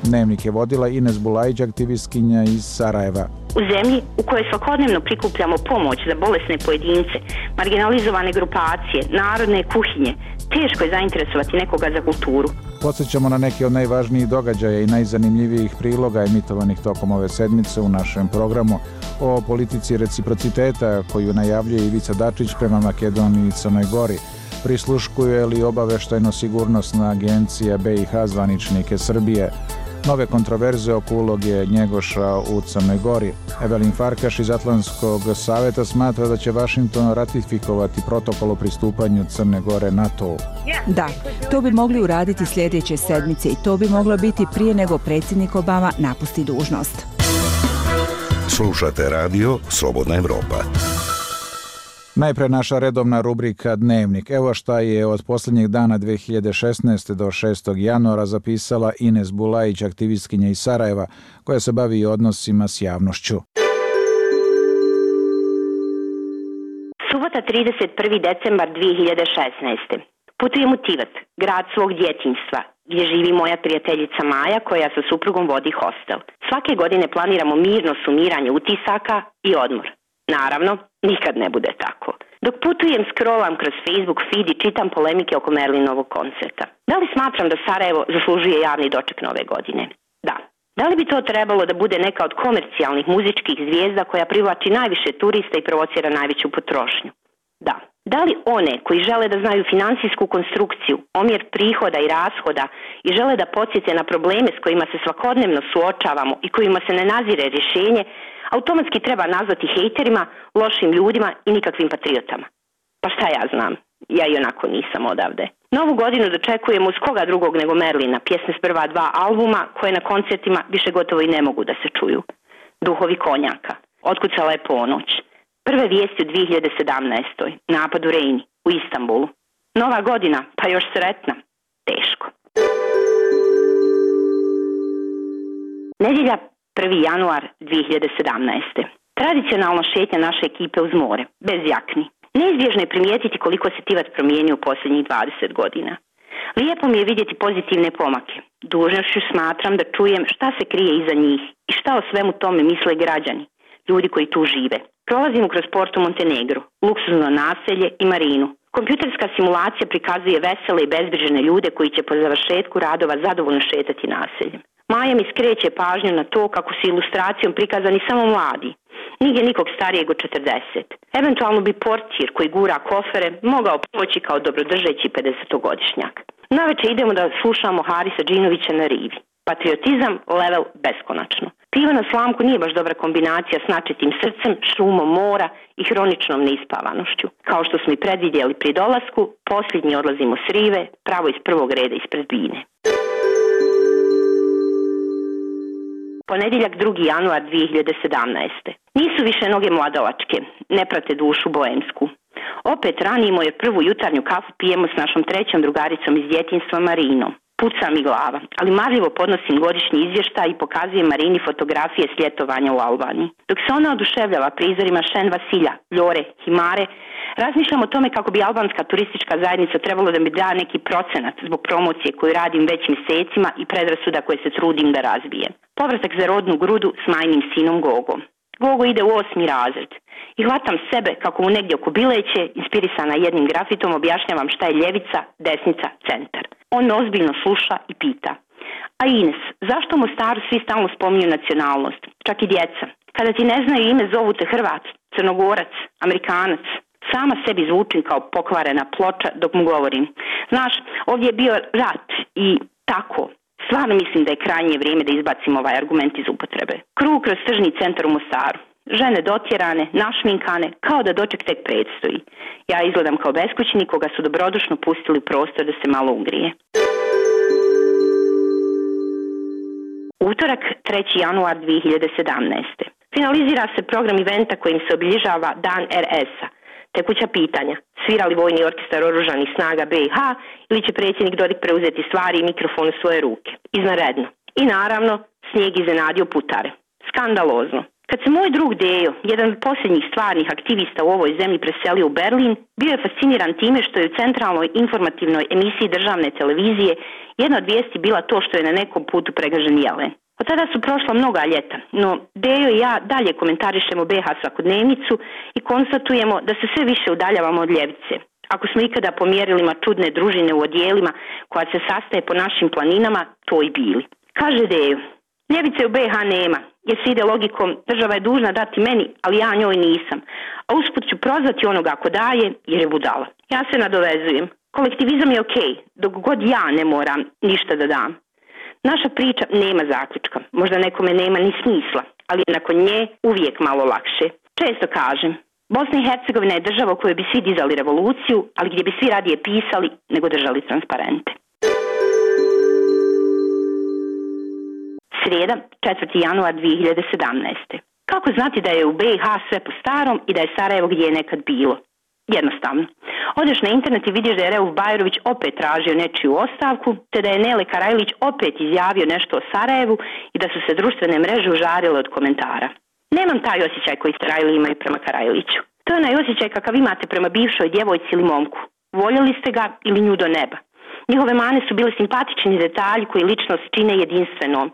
Dnevnik je vodila Ines Bulajić, aktivistkinja iz Sarajeva. U zemlji u kojoj svakodnevno prikupljamo pomoć za bolesne pojedince, marginalizovane grupacije, narodne kuhinje, teško je zainteresovati nekoga za kulturu. Podsjećamo na neke od najvažnijih događaja i najzanimljivijih priloga emitovanih tokom ove sedmice u našem programu o politici reciprociteta koju najavljuje Ivica Dačić prema Makedoniji i Crnoj Gori. Prisluškuje li obaveštajno-sigurnosna agencija B i H zvaničnike Srbije? Nove kontroverze oko uloge Njegoša u Crnoj Gori. Evelin Farkaš iz Atlantskog saveta smatra da će Vašington ratifikovati protokol o pristupanju Crne Gore NATO-u. Da, to bi mogli uraditi sljedeće sedmice i to bi moglo biti prije nego predsjednik Obama napusti dužnost. Slušate radio Slobodna Evropa. Najpre naša redovna rubrika Dnevnik. Evo šta je od posljednjeg dana dve hiljade šesnaeste. do šestog januara zapisala Ines Bulajić, aktivistkinja iz Sarajeva, koja se bavi odnosima s javnošću. Subota trideset prvi decembar dve hiljade šesnaeste. Putujem u Tivat, grad svog djetinjstva, gdje živi moja prijateljica Maja koja sa suprugom vodi hostel. Svake godine planiramo mirno sumiranje utisaka i odmor. Naravno, nikad ne bude tako. Dok putujem, scrollam kroz Facebook feed i čitam polemike oko Merlinovog koncerta. Da li smatram da Sarajevo zaslužuje javni doček nove godine? Da. Da li bi to trebalo da bude neka od komercijalnih muzičkih zvijezda koja privlači najviše turista i provocira najveću potrošnju? Da. Da li one koji žele da znaju finansijsku konstrukciju, omjer prihoda i rashoda i žele da podsjete na probleme s kojima se svakodnevno suočavamo i kojima se ne nazire rješenje, automatski treba nazvati hejterima, lošim ljudima i nikakvim patriotama? Pa šta ja znam, ja i onako nisam odavde. Novu godinu dočekujemo uz koga drugog nego Merlina, pjesme s prva dva albuma koje na koncertima više gotovo i ne mogu da se čuju. Duhovi konjaka, otkucala je ponoć. Prve vijesti u dve hiljade sedamnaestoj. Napad u Rejni, u Istanbulu. Nova godina, pa još sretna. Teško. Nedjelja, prvi januar dve hiljade sedamnaeste. Tradicionalno šetnja naše ekipe uz more, bez jakni. Neizbježno je primijetiti koliko se Tivat promijenio u posljednjih dvadeset godina. Lijepo mi je vidjeti pozitivne pomake. Dužnošću smatram da čujem šta se krije iza njih i šta o svemu tome misle građani, ljudi koji tu žive. Prolazimo kroz Porto Montenegro, luksuzno naselje i marinu. Kompjuterska simulacija prikazuje vesele i bezbrižne ljude koji će po završetku radova zadovoljno šetati naseljem. Maja mi skreće pažnju na to kako su ilustracijom prikazani samo mladi. Nigdje nikog starijeg od četrdeset. Eventualno bi portir koji gura kofere mogao poći kao dobrodržeći pedesetogodišnjak. Naveče idemo da slušamo Harisa Džinovića na rivi. Patriotizam level beskonačno. Pivo na slamku nije baš dobra kombinacija s načitim srcem, šumom mora i hroničnom neispavanošću. Kao što smo i predvidjeli pri dolasku, posljednji odlazimo s rive, pravo iz prvog reda ispred bine. Ponedjeljak drugi januar dve hiljade sedamnaeste. Nisu više noge mladalačke, ne prate dušu boemsku. Opet ranimo jer prvu jutarnju kafu pijemo s našom trećom drugaricom iz djetinjstva Marinom. Puca mi glava, ali marljivo podnosim godišnji izvještaj i pokazujem Marini fotografije s ljetovanja u Albaniji. Dok se ona oduševljava prizorima Šen Vasilja, Ljore, Himare, razmišljam o tome kako bi albanska turistička zajednica trebalo da mi da neki procenat zbog promocije koju radim već mjesecima i predrasuda koje se trudim da razbijem. Povratak za rodnu grudu s majnim sinom Gogom. Gogo ide u osmi razred i hvatam sebe kako mu negdje oko bileće, inspirisana jednim grafitom, objašnjavam šta je ljevica, desnica, centar. On me ozbiljno sluša i pita: a Ines, zašto u Mostaru svi stalno spominju nacionalnost, čak i djeca? Kada ti ne znaju ime, zovu te Hrvat, Crnogorac, Amerikanac. Sama sebi zvučim kao pokvarena ploča dok mu govorim: znaš, ovdje je bio rat i tako. Stvarno mislim da je krajnje vrijeme da izbacimo ovaj argument iz upotrebe. Krug kroz tržni centar u Mostaru. Žene dotjerane, našminkane, kao da doček tek predstoji. Ja izgledam kao beskućnik koga su dobrodušno pustili u prostor da se malo ugrije. Utorak, treći januar dvije hiljade sedamnaeste. Finalizira se program eventa kojim se obilježava Dan er es-a. Tekuća pitanja: svira li vojni orkestar oružanih snaga be i ha ili će predsjednik Dodik preuzeti stvari i mikrofon u svoje ruke? Izvanredno. I naravno, snijeg iznenadio putare. Skandalozno. Kad se moj drug Dejo, jedan od posljednjih stvarnih aktivista u ovoj zemlji, preselio u Berlin, bio je fasciniran time što je u centralnoj informativnoj emisiji državne televizije jedna od vijesti bila to što je na nekom putu pregažen jelen. Od tada su prošla mnoga ljeta, no Dejo i ja dalje komentarišemo be ha svakodnevnicu i konstatujemo da se sve više udaljavamo od ljevice. Ako smo ikada pomjerili čudne družine u odijelima koja se sastaje po našim planinama, to i bili. Kaže Dejo: ljevice u be ha nema, jer se ide logikom država je dužna dati meni, ali ja njoj nisam, a usput ću prozvati onoga ko daje jer je budala. Ja se nadovezujem: kolektivizam je okej, dok god ja ne moram ništa da dam. Naša priča nema zaključka, možda nekome nema ni smisla, ali je nakon nje uvijek malo lakše. Često kažem, Bosna i Hercegovina je država u kojoj bi svi dizali revoluciju, ali gdje bi svi radije pisali nego držali transparente. Srijeda, četvrti januar dvije hiljade sedamnaeste. Kako znati da je u be i ha sve po starom i da je Sarajevo gdje je nekad bilo? Jednostavno. Odeš na internet i vidiš da je Reuf Bajrović opet tražio nečiju ostavku, te da je Nele Karajlić opet izjavio nešto o Sarajevu i da su se društvene mreže užarile od komentara. Nemam taj osjećaj koji Sarajli imaju prema Karajliću. To je onaj osjećaj kakav imate prema bivšoj djevojci ili momku. Voljeli ste ga ili nju do neba. Njihove mane su bile simpatični detalji koji ličnost čine jedinstvenom.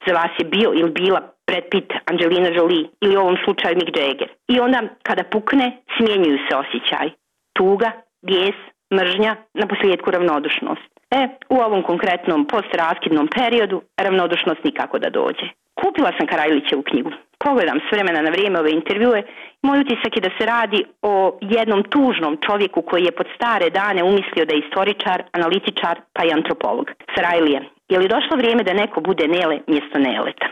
Za vas je bio ili bila Brad Pitt, Angelina Jolie ili u ovom slučaju Mick Jagger. I onda kada pukne, smjenjuju se osjećaj. Tuga, bijes, mržnja, na posljedku ravnodušnost. E, u ovom konkretnom postraskidnom periodu ravnodušnost nikako da dođe. Kupila sam Karajlićevu knjigu. Pogledam s vremena na vrijeme ove intervjue. Moj utisak je da se radi o jednom tužnom čovjeku koji je pod stare dane umislio da je istoričar, analitičar pa i antropolog. Sarajlije, je li došlo vrijeme da neko bude Nele mjesto Neleta?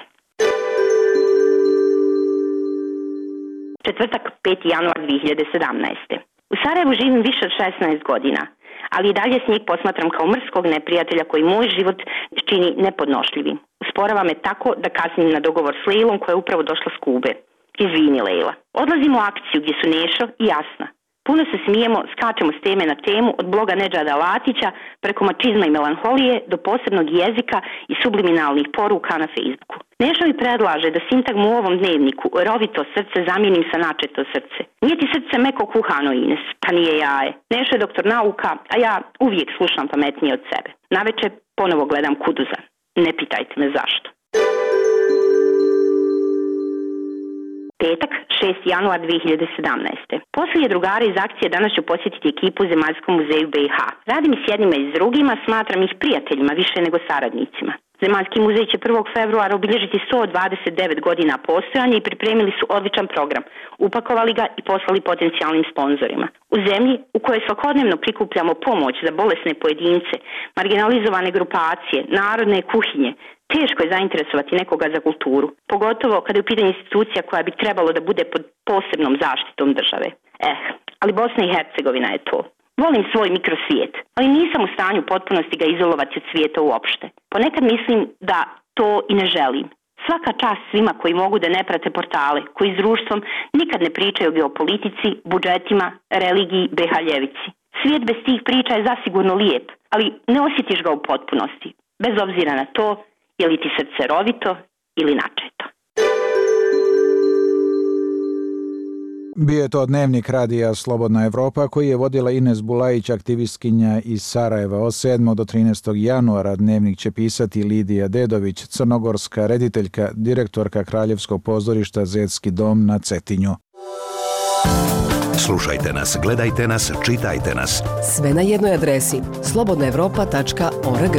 Četvrtak, peti januar dvije hiljade sedamnaeste. U Sarajevu živim više od šesnaest godina, ali i dalje snijeg posmatram kao mrskog neprijatelja koji moj život čini nepodnošljivim. Usporava me tako da kasnim na dogovor s Lejlom koja je upravo došla s Kube. Izvini, Lejla. Odlazimo u akciju gdje su Nešo i Jasna. Puno se smijemo, skačemo s teme na temu od bloga Nedžada Latića preko mačizma i melanholije do posebnog jezika i subliminalnih poruka na Facebooku. Nešo mi predlaže da sintagmu u ovom dnevniku rovito srce zamijenim sa načeto srce. Nije ti srce meko kuhano, Ines, pa nije jaje. Nešo je doktor nauka, a ja uvijek slušam pametnije od sebe. Naveče ponovo gledam Kuduza. Ne pitajte me zašto. Petak, šesti januar dvije hiljade sedamnaeste. Poslije drugara iz akcije danas ću posjetiti ekipu u Zemaljskom muzeju be i ha. Radim i s jednima i s drugima, smatram ih prijateljima više nego saradnicima. Zemaljski muzej će prvog februara obilježiti sto dvadeset devet godina postojanja i pripremili su odličan program. Upakovali ga i poslali potencijalnim sponzorima. U zemlji u kojoj svakodnevno prikupljamo pomoć za bolesne pojedince, marginalizovane grupacije, narodne kuhinje, teško je zainteresovati nekoga za kulturu, pogotovo kada je u pitanju institucija koja bi trebalo da bude pod posebnom zaštitom države. Eh, ali Bosna i Hercegovina je to. Volim svoj mikrosvijet, ali nisam u stanju potpunosti ga izolovati od svijeta uopšte. Ponekad mislim da to i ne želim. Svaka čast svima koji mogu da ne prate portale, koji s društvom nikad ne pričaju o geopolitici, budžetima, religiji, be ha ljevici. Svijet bez tih priča je zasigurno lijep, ali ne osjetiš ga u potpunosti, bez obzira na to je li ti srce rovito ili načeto. Bio je to dnevnik radija Slobodna Evropa koji je vodila Ines Bulajić, aktivistkinja iz Sarajeva. Od sedmog do trinaestog januara dnevnik će pisati Lidija Dedović, crnogorska rediteljka, direktorka Kraljevskog pozorišta Zetski dom na Cetinju. Slušajte nas, gledajte nas, čitajte nas. Sve na jednoj adresi slobodna evropa tačka org.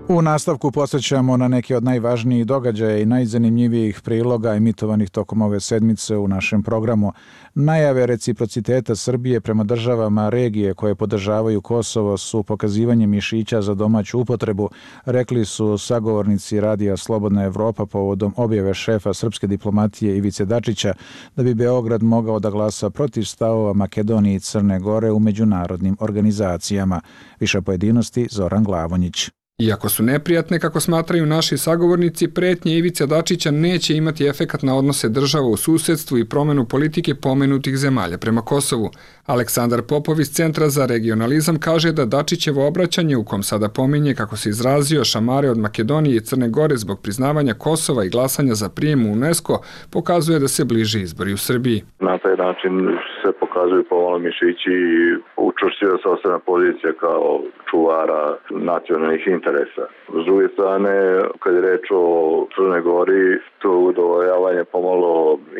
U nastavku podsjećamo na neke od najvažnijih događaja i najzanimljivijih priloga emitovanih tokom ove sedmice u našem programu. Najave reciprociteta Srbije prema državama regije koje podržavaju Kosovo su pokazivanje mišića za domaću upotrebu, rekli su sagovornici radija Slobodna Evropa povodom objave šefa srpske diplomatije Ivice Dačića da bi Beograd mogao da glasa protiv stavova Makedonije i Crne Gore u međunarodnim organizacijama. Više pojedinosti Zoran Glavonjić. Iako su neprijatne, kako smatraju naši sagovornici, pretnje Ivice Dačića neće imati efekat na odnose država u susedstvu i promenu politike pomenutih zemalja prema Kosovu. Aleksandar Popov iz Centra za regionalizam kaže da Dačićevo obraćanje, u kom sada pominje, kako se izrazio, šamare od Makedonije i Crne Gore zbog priznavanja Kosova i glasanja za prijem u UNESCO, pokazuje da se bliže izbori u Srbiji. Na taj način se pokazuju pomalo mišići i učvršćuje se osnovna pozicija kao čuvara nacionalnih interesa. S druge strane, kad je reč o Crnoj Gori, to je udovoljavanje pomalo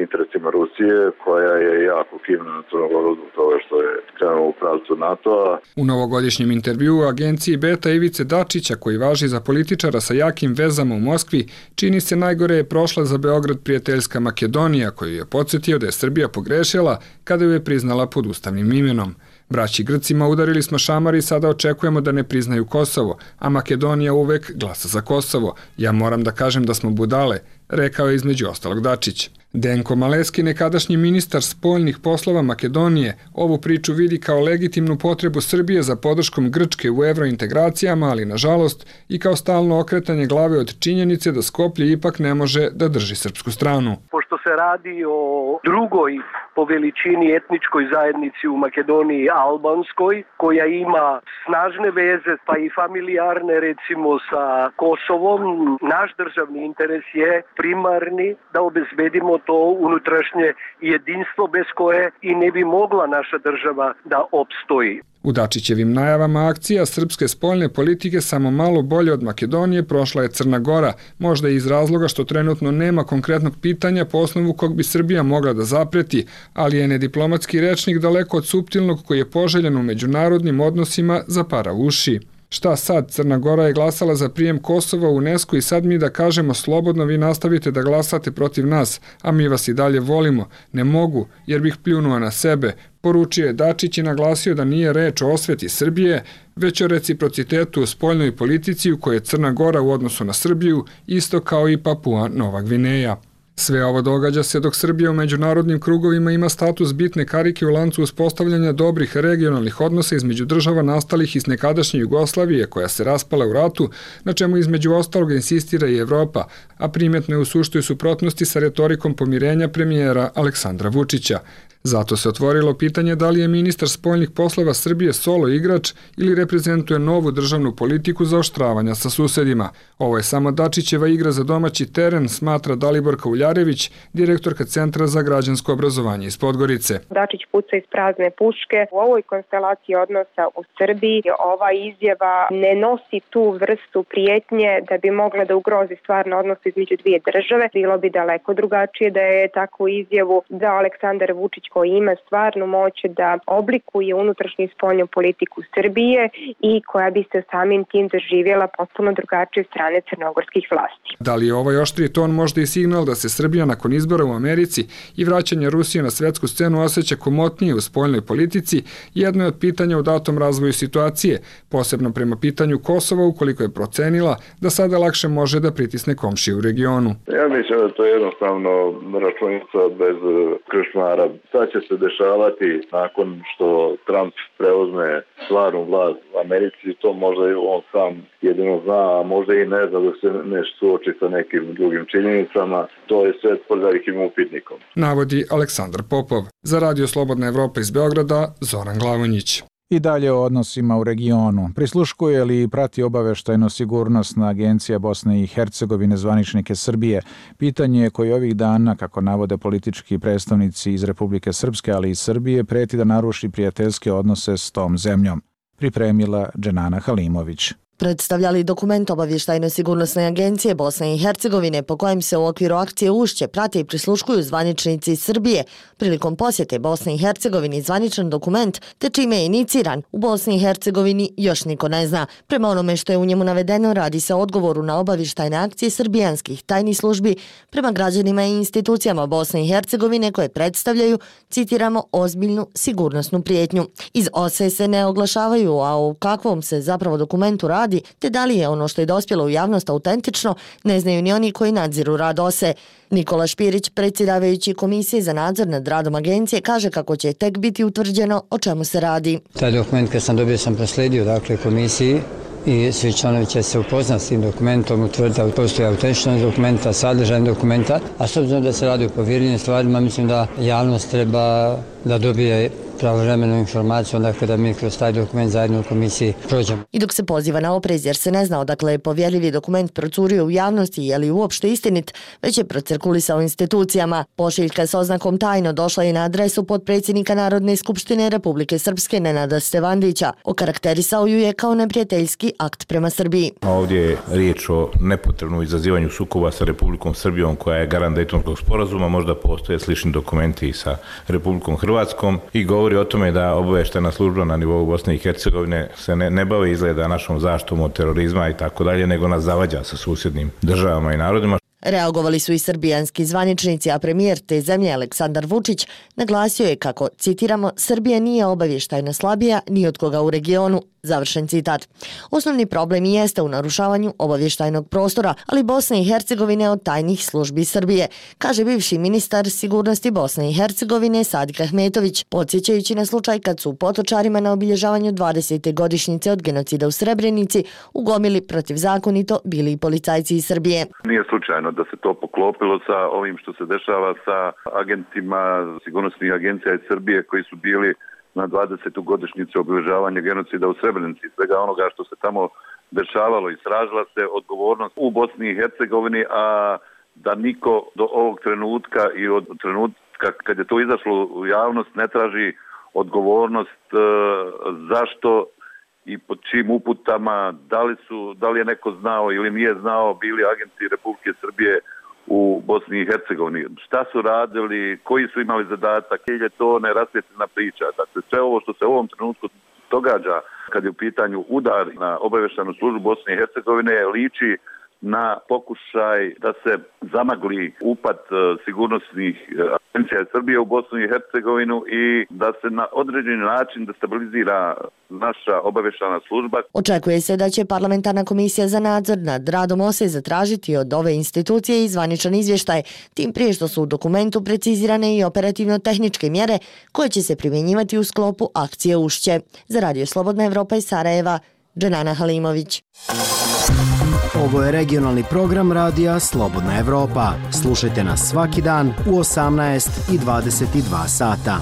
interesima Rusije, koja je jako kivna na Crnu Goru zbog toga što je krenuo u pravcu NATO-a. U novogodišnjem intervjuu u agenciji Beta Ivice Dačića, koji važi za političara sa jakim vezama u Moskvi, čini se najgore je prošla za Beograd prijateljska Makedonija, koju je podsjetio da je Srbija pogrešila kada ju je priznala pod ustavnim imenom. Braći Grcima udarili smo šamar i sada očekujemo da ne priznaju Kosovo, a Makedonija uvek glasa za Kosovo. Ja moram da kažem da smo budale, rekao je između ostalog Dačić. Denko Maleski, nekadašnji ministar spoljnih poslova Makedonije, ovu priču vidi kao legitimnu potrebu Srbije za podrškom Grčke u evrointegracijama, ali nažalost i kao stalno okretanje glave od činjenice da Skoplje ipak ne može da drži srpsku stranu. Pošto se radi o drugoj po veličini etničkoj zajednici u Makedoniji, albanskoj, koja ima snažne veze pa i familijarne recimo sa Kosovom, naš državni interes je primarni da obezbedimo to unutrašnje jedinstvo bez koje i ne bi mogla naša država da opstoji. U Dačićevim najavama akcija srpske spoljne politike samo malo bolje od Makedonije prošla je Crna Gora, možda i iz razloga što trenutno nema konkretnog pitanja po osnovu kog bi Srbija mogla da zapreti, ali je nediplomatski rečnik daleko od suptilnog koji je poželjen u međunarodnim odnosima zapara uši. Šta sad? Crna Gora je glasala za prijem Kosova u UNESCO i sad mi da kažemo slobodno vi nastavite da glasate protiv nas, a mi vas i dalje volimo. Ne mogu, jer bih pljunuo na sebe. Poručio je Dačić i naglasio da nije reč o osveti Srbije, već o reciprocitetu u spoljnoj politici u kojoj je Crna Gora u odnosu na Srbiju, isto kao i Papua Nova Gvineja. Sve ovo događa se dok Srbija u međunarodnim krugovima ima status bitne karike u lancu uspostavljanja dobrih regionalnih odnosa između država nastalih iz nekadašnje Jugoslavije koja se raspala u ratu, na čemu između ostalog insistira i Evropa, a primjetno je u suštoj suprotnosti sa retorikom pomirenja premijera Aleksandra Vučića. Zato se otvorilo pitanje da li je ministar spoljnih poslova Srbije solo igrač ili reprezentuje novu državnu politiku zaoštravanja sa susedima. Ovo je samo Dačićeva igra za domaći teren, smatra Daliborka Uljarević, direktorka Centra za građansko obrazovanje iz Podgorice. Dačić puca iz prazne puške. U ovoj konstelaciji odnosa u Srbiji ova izjava ne nosi tu vrstu prijetnje da bi mogla da ugrozi stvarno odnos između dvije države. Bilo bi daleko drugačije da je takvu izjavu da Aleksandar Vučić koji ima stvarnu moć da oblikuje unutrašnju i spoljnu politiku Srbije i koja bi se samim tim doživjela potpuno drugačije strane crnogorskih vlasti. Da li je ovaj oštri ton možda i signal da se Srbija nakon izbora u Americi i vraćanja Rusije na svetsku scenu osjeća komotnije u spoljnoj politici, jedno je od pitanja u datom razvoju situacije, posebno prema pitanju Kosova ukoliko je procenila da sada lakše može da pritisne komšije u regionu. Ja mislim da to je jednostavno računica bez kršmara. Šta će se dešavati nakon što Trump preuzme stvarnu vlast u Americi, to možda on sam jedino zna, a možda i ne zna dok se ne suoči sa nekim drugim činjenicama. To je sve pod velikim upitnikom. Navodi Aleksandar Popov. Za Radio Slobodna Evropa iz Beograda, Zoran Glavonjić. I dalje o odnosima u regionu. Prisluškuje li i prati obaveštajno-sigurnosna agencija Bosne i Hercegovine zvaničnike Srbije? Pitanje je koje ovih dana, kako navode politički predstavnici iz Republike Srpske, ali i Srbije, preti da naruši prijateljske odnose s tom zemljom. Pripremila Dženana Halimović. Predstavljali dokument obavještajno-sigurnosne agencije Bosne i Hercegovine po kojem se u okviru akcije Ušće prate i prisluškuju zvaničnici iz Srbije. Prilikom posjete Bosne i Hercegovini zvaničan dokument, te čime je iniciran, u Bosni i Hercegovini još niko ne zna. Prema onome što je u njemu navedeno, radi se o odgovoru na obavještajne akcije srbijanskih tajnih službi prema građanima i institucijama Bosne i Hercegovine koje predstavljaju, citiramo, ozbiljnu sigurnosnu prijetnju. Iz O S E se ne oglašavaju, a u kakvom se zapravo dokumentu radi, te da li je ono što je dospjelo u javnost autentično, ne znaju ni oni koji nadziru rad O S E. Nikola Špirić, predsjedavajući Komisije za nadzor nad radom agencije, kaže kako će tek biti utvrđeno o čemu se radi. Taj dokument kad sam dobio sam prosledio dakle komisiji i svi članovi će se upoznati s tim dokumentom, utvrditi da postoji autentičnost dokumenta, sadržaj dokumenta, a s obzirom da se radi o povjerljivim stvarima, mislim da javnost treba da dobije pravovremenu informaciju, dakle da mi kroz taj dokument zajedno u komisiji prođemo. I dok se poziva na oprez jer se ne zna odakle je povjerljivi dokument procurio u javnosti je li uopšte istinit, već je procirkulisao institucijama. Pošiljka s oznakom tajno došla je na adresu potpredsjednika Narodne skupštine Republike Srpske Nenada Stevandića. Okarakterisao ju je kao neprijateljski akt prema Srbiji. Ovdje je riječ o nepotrebnom izazivanju sukoba sa Republikom Srbijom koja je garant Dejtonskog sporazuma, možda postoje slični dokumenti i sa Republikom Hrvatskom i govori o tome da obavještajna služba na nivou Bosne i Hercegovine se ne, ne bave izgleda našom zaštitom od terorizma i tako dalje, nego nas zavađa sa susjednim državama i narodima. Reagovali su i srbijanski zvaničnici, a premijer te zemlje Aleksandar Vučić naglasio je kako, citiramo, Srbija nije obavještajno slabija ni od koga u regionu, završen citat. Osnovni problem i jeste u narušavanju obavještajnog prostora, ali Bosne i Hercegovine od tajnih službi Srbije, kaže bivši ministar sigurnosti Bosne i Hercegovine Sadik Ahmetović, podsjećajući na slučaj kad su potočarima na obilježavanju dvadesete godišnjice od genocida u Srebrenici ugomili protivzakonito bili i policajci iz Srbije. Nije slučajno da se to poklopilo sa ovim što se dešava sa agentima sigurnosnih agencija iz Srbije koji su bili na dvadesetu godišnjicu obilježavanja genocida u Srebrenici i svega onoga što se tamo dešavalo i sražila se odgovornost u Bosni i Hercegovini, a da niko do ovog trenutka i od trenutka kad je to izašlo u javnost ne traži odgovornost e, zašto i pod čim uputama, da li su, da li je neko znao ili nije znao bili agenti Republike Srbije u Bosni i Hercegovini. Šta su radili, koji su imali zadatak, je to nerasvjetljena priča. Dakle, sve ovo što se u ovom trenutku događa kad je u pitanju udar na obavještajnu službu Bosne i Hercegovine liči na pokušaj da se zamagli upad sigurnosnih agencija Srbije u Bosnu i Hercegovinu i da se na određeni način destabilizira naša obavještajna služba. Očekuje se da će parlamentarna komisija za nadzor nad radom O S E zatražiti od ove institucije i zvaničan izvještaj, tim prije što su u dokumentu precizirane i operativno-tehničke mjere koje će se primjenjivati u sklopu akcije Ušće. Za Radio Slobodna Evropa iz Sarajeva, Dženana Halimović. Ovo je regionalni program radija Slobodna Evropa. Slušajte nas svaki dan u osamnaest i dvadeset dva sata.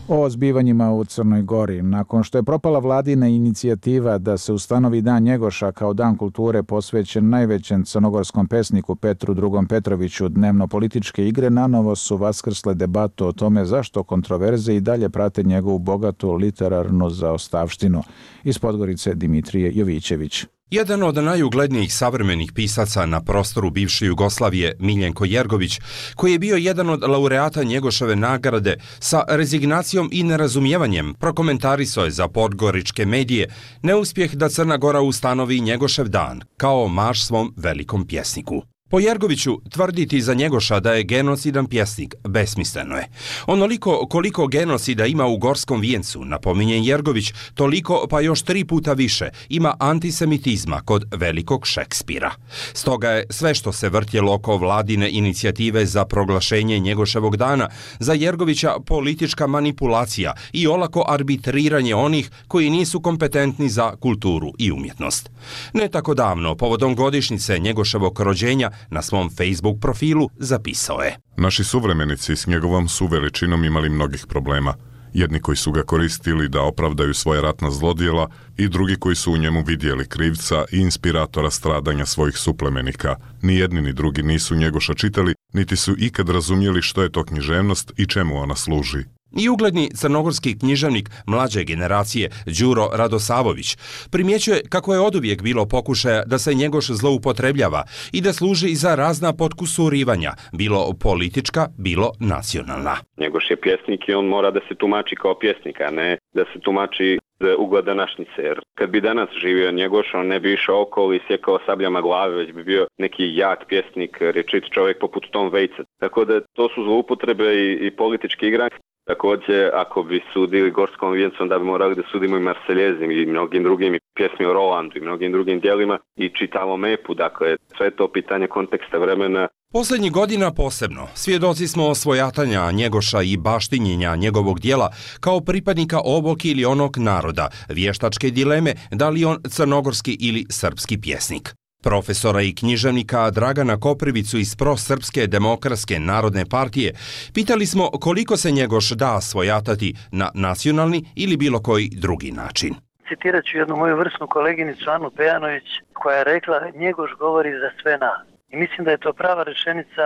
O zbivanjima u Crnoj Gori. Nakon što je propala vladina inicijativa da se ustanovi Dan Njegoša kao dan kulture posvećen najvećem crnogorskom pesniku Petru drugom Petroviću, dnevno političke igre nanovo su vaskrsle debatu o tome zašto kontroverze i dalje prate njegovu bogatu literarnu zaostavštinu. Iz Podgorice Dimitrije Jovićević. Jedan od najuglednijih savremenih pisaca na prostoru bivše Jugoslavije, Miljenko Jergović, koji je bio jedan od laureata Njegoševe nagrade, sa rezignacijom i nerazumijevanjem prokomentarisao je za podgoričke medije neuspjeh da Crna Gora ustanovi Njegošev dan kao marš svom velikom pjesniku. Po Jergoviću, tvrditi za Njegoša da je genocidan pjesnik besmisleno je. Onoliko koliko genocida ima u Gorskom vijencu, napominje Jergović, toliko pa još tri puta više ima antisemitizma kod velikog Šekspira. Stoga je sve što se vrtjelo oko vladine inicijative za proglašenje Njegoševog dana za Jergovića politička manipulacija i olako arbitriranje onih koji nisu kompetentni za kulturu i umjetnost. Ne tako davno, povodom godišnjice Njegoševog rođenja, na svom Facebook profilu zapisao je: Naši suvremenici s njegovom su veličinom imali mnogih problema. Jedni koji su ga koristili da opravdaju svoje ratna zlodjela i drugi koji su u njemu vidjeli krivca i inspiratora stradanja svojih suplemenika. Ni jedni ni drugi nisu Njegoša čitali, niti su ikad razumjeli što je to književnost i čemu ona služi. I ugledni crnogorski književnik mlađe generacije Đuro Radosavović primjećuje kako je oduvijek bilo pokušaja da se Njegoš zloupotrebljava i da služi za razna potkusurivanja, bilo politička, bilo nacionalna. Njegoš je pjesnik i on mora da se tumači kao pjesnik, a ne da se tumači za ugled današnjice. Jer kad bi danas živio Njegoš, on ne bi išao okolo i sjekao sabljama glave, već bi bio neki jak pjesnik, rečit čovjek poput Tom Waitsa. Tako da to su zloupotrebe i, i politički igranje. Također, ako bi sudili Gorskom vijencu, onda bi morali da sudimo i Marseljezim i mnogim drugim, i pjesmi o Rolandu i mnogim drugim dijelima i čitavo mepu. Dakle, sve to pitanje konteksta vremena. Posljednjih godina posebno svjedoci smo svojatanja Njegoša i baštinjenja njegovog dijela kao pripadnika ovog ili onog naroda, vještačke dileme da li on crnogorski ili srpski pjesnik. Profesora i književnika Dragana Koprivicu iz Prosrpske demokratske narodne partije pitali smo koliko se Njegoš da svojatati na nacionalni ili bilo koji drugi način. Citirat ću jednu moju vrsnu koleginicu Anu Pejanović koja je rekla Njegoš govori za sve nas. I mislim da je to prava rečenica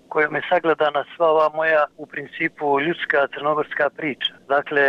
kojom je sagledana sva ova moja u principu ljudska crnogorska priča. Dakle,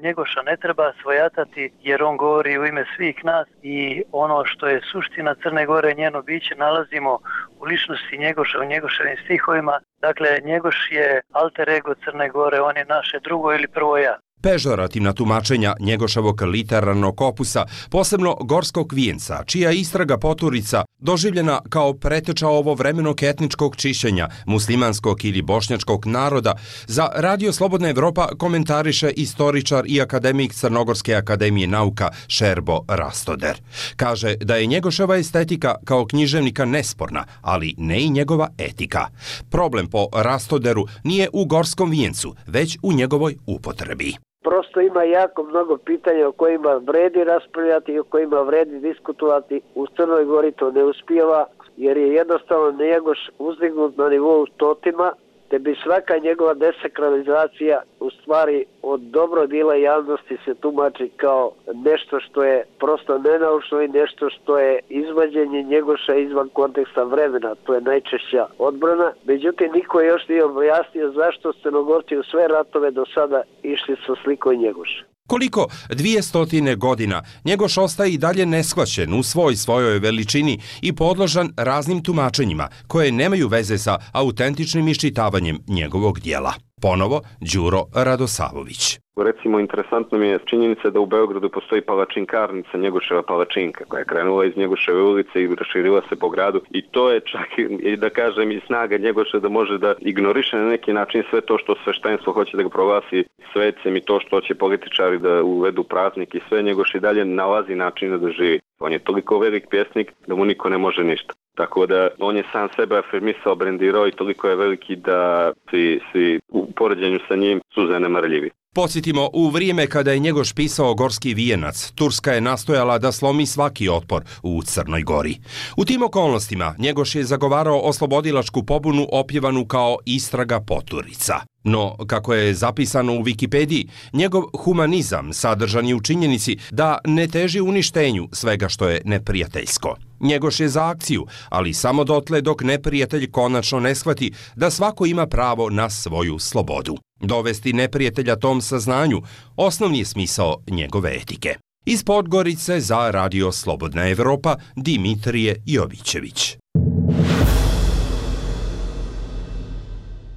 Njegoša ne treba svojatati jer on govori u ime svih nas i ono što je suština Crne Gore, njeno biće, nalazimo u ličnosti Njegoša, u Njegoševim stihovima. Dakle, Njegoš je alter ego Crne Gore, on je naše drugo ili prvo ja. Pežorativna tumačenja Njegoševog literarnog opusa, posebno Gorskog vijenca, čija istraga poturica doživljena kao preteča ovovremenog etničkog čišćenja muslimanskog ili bošnjačkog naroda, za Radio Slobodna Evropa komentariše istoričar i akademik Crnogorske akademije nauka Šerbo Rastoder. Kaže da je Njegoševa estetika kao književnika nesporna, ali ne i njegova etika. Problem po Rastoderu nije u Gorskom vijencu, već u njegovoj upotrebi. Prosto ima jako mnogo pitanja o kojima vredi raspravljati i o kojima vredi diskutovati. U Crnoj Gori to ne uspijeva jer je jednostavno Njegoš uzdignut na nivou totima, te bi svaka njegova desakralizacija u stvari od dobro dila javnosti se tumači kao nešto što je prosto nenaučno i nešto što je izvađenje Njegoša izvan konteksta vremena. To je najčešća odbrana. Međutim, niko još nije objasnio zašto Crnogorci u sve ratove do sada išli sa slikom Njegoša. Koliko dvije stotine godina Njegoš ostaje i dalje neshvaćen u svoj svojoj veličini i podložan raznim tumačenjima koje nemaju veze sa autentičnim iščitavanjem njegovog dijela. Ponovo Đuro Radosavović. Recimo, interesantno mi je činjenica da u Beogradu postoji palačinkarnica Njegoševa palačinka koja je krenula iz Njegoševe ulice i raširila se po gradu i to je čak i da kažem i snaga Njegoša da može da ignoriše na neki način sve to što sveštenstvo hoće da ga proglasi svecem i to što će političari da uvedu praznik i sve. Njegoš i dalje nalazi načina da živi. On je toliko velik pjesnik da mu niko ne može ništa. Tako da on je sam sebe afirmisao, brendirao i toliko je veliki da svi, svi u poređenju sa njim su zanemarljivi. Podsjetimo, u vrijeme kada je Njegoš pisao Gorski vijenac, Turska je nastojala da slomi svaki otpor u Crnoj Gori. U tim okolnostima Njegoš je zagovarao oslobodilačku pobunu opjevanu kao istraga poturica. No, kako je zapisano u Wikipediji, njegov humanizam sadržan je u činjenici da ne teži uništenju svega što je neprijateljsko. Njegoš je za akciju, ali samo dotle dok neprijatelj konačno ne shvati da svako ima pravo na svoju slobodu. Dovesti neprijatelja tom saznanju osnovni je smisao njegove etike. Iz Podgorice za Radio Slobodna Evropa, Dimitrije Jovićević.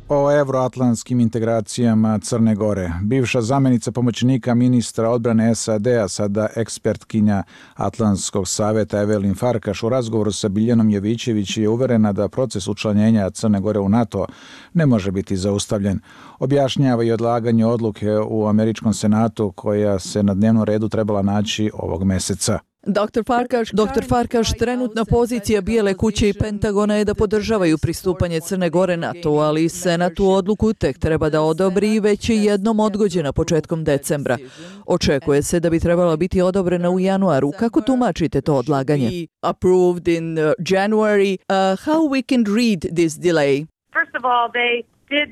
O evroatlantskim integracijama Crne Gore. Bivša zamjenica pomoćnika ministra odbrane S A D-a, sada ekspertkinja Atlantskog savjeta Evelin Farkaš, u razgovoru sa Biljanom Jovićević je uverena da proces učlanjenja Crne Gore u NATO ne može biti zaustavljen. Objašnjava i odlaganje odluke u Američkom senatu koja se na dnevnom redu trebala naći ovog meseca. doktor Farkaš, doktor Farkaš, trenutna pozicija Bijele kuće i Pentagona je da podržavaju pristupanje Crne Gore NATO, ali Senat tu odluku tek treba da odobri i već je jednom odgođena početkom decembra. Očekuje se da bi trebala biti odobrena u januaru. Kako tumačite to odlaganje? Approved in January. Uh, how we can read this delay? First of all, they did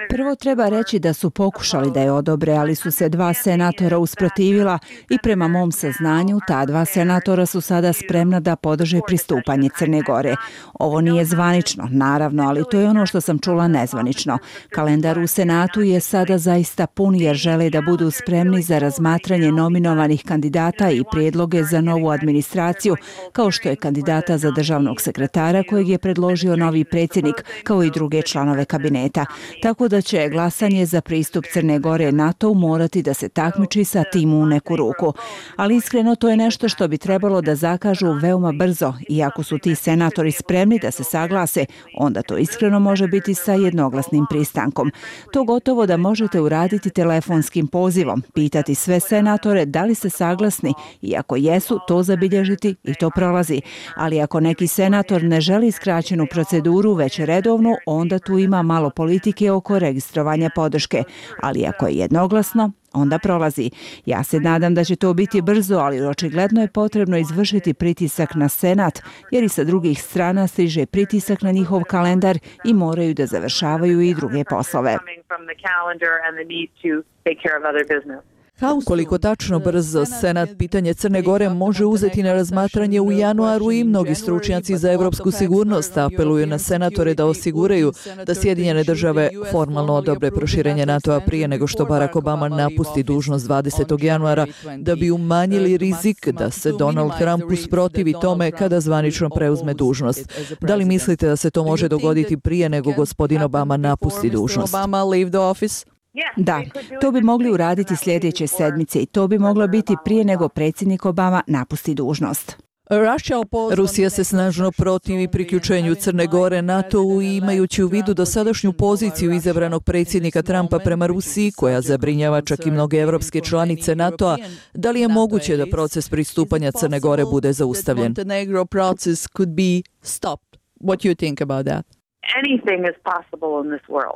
Prvo treba reći da su pokušali da je odobre, ali su se dva senatora usprotivila i prema mom saznanju ta dva senatora su sada spremna da podrže pristupanje Crne Gore. Ovo nije zvanično, naravno, ali to je ono što sam čula nezvanično. Kalendar u Senatu je sada zaista pun jer žele da budu spremni za razmatranje nominovanih kandidata i prijedloge za novu administraciju, kao što je kandidata za državnog sekretara kojeg je predložio novi predsjednik, kao i druge članove kabineta. Tako da će glasanje za pristup Crne Gore NATO morati da se takmiči sa tim u neku ruku. Ali iskreno to je nešto što bi trebalo da zakažu veoma brzo i ako su ti senatori spremni da se saglase, onda to iskreno može biti sa jednoglasnim pristankom. To gotovo da možete uraditi telefonskim pozivom, pitati sve senatore da li ste saglasni i ako jesu, to zabilježiti i to prolazi. Ali ako neki senator ne želi skraćenu proceduru, već redovnu, onda tu ima malo politike oko registrovanja podrške. Ali ako je jednoglasno, onda prolazi. Ja se nadam da će to biti brzo, ali očigledno je potrebno izvršiti pritisak na Senat, jer i sa drugih strana stiže pritisak na njihov kalendar i moraju da završavaju i druge poslove. Koliko tačno brzo Senat pitanje Crne Gore može uzeti na razmatranje u januaru i mnogi stručnjaci za evropsku sigurnost apeluju na senatore da osiguraju da Sjedinjene države formalno odobre proširenje NATO-a prije nego što Barack Obama napusti dužnost dvadesetog januara da bi umanjili rizik da se Donald Trump usprotivi tome kada zvanično preuzme dužnost. Da li mislite da se to može dogoditi prije nego gospodin Obama napusti dužnost? Da, to bi mogli uraditi sljedeće sedmice i to bi moglo biti prije nego predsjednik Obama napusti dužnost. Rusija se snažno protivi priključenju Crne Gore NATO-u i imajući u vidu dosadašnju poziciju izabranog predsjednika Trumpa prema Rusiji, koja zabrinjava čak i mnoge evropske članice NATO-a, da li je moguće da proces pristupanja Crne Gore bude zaustavljen?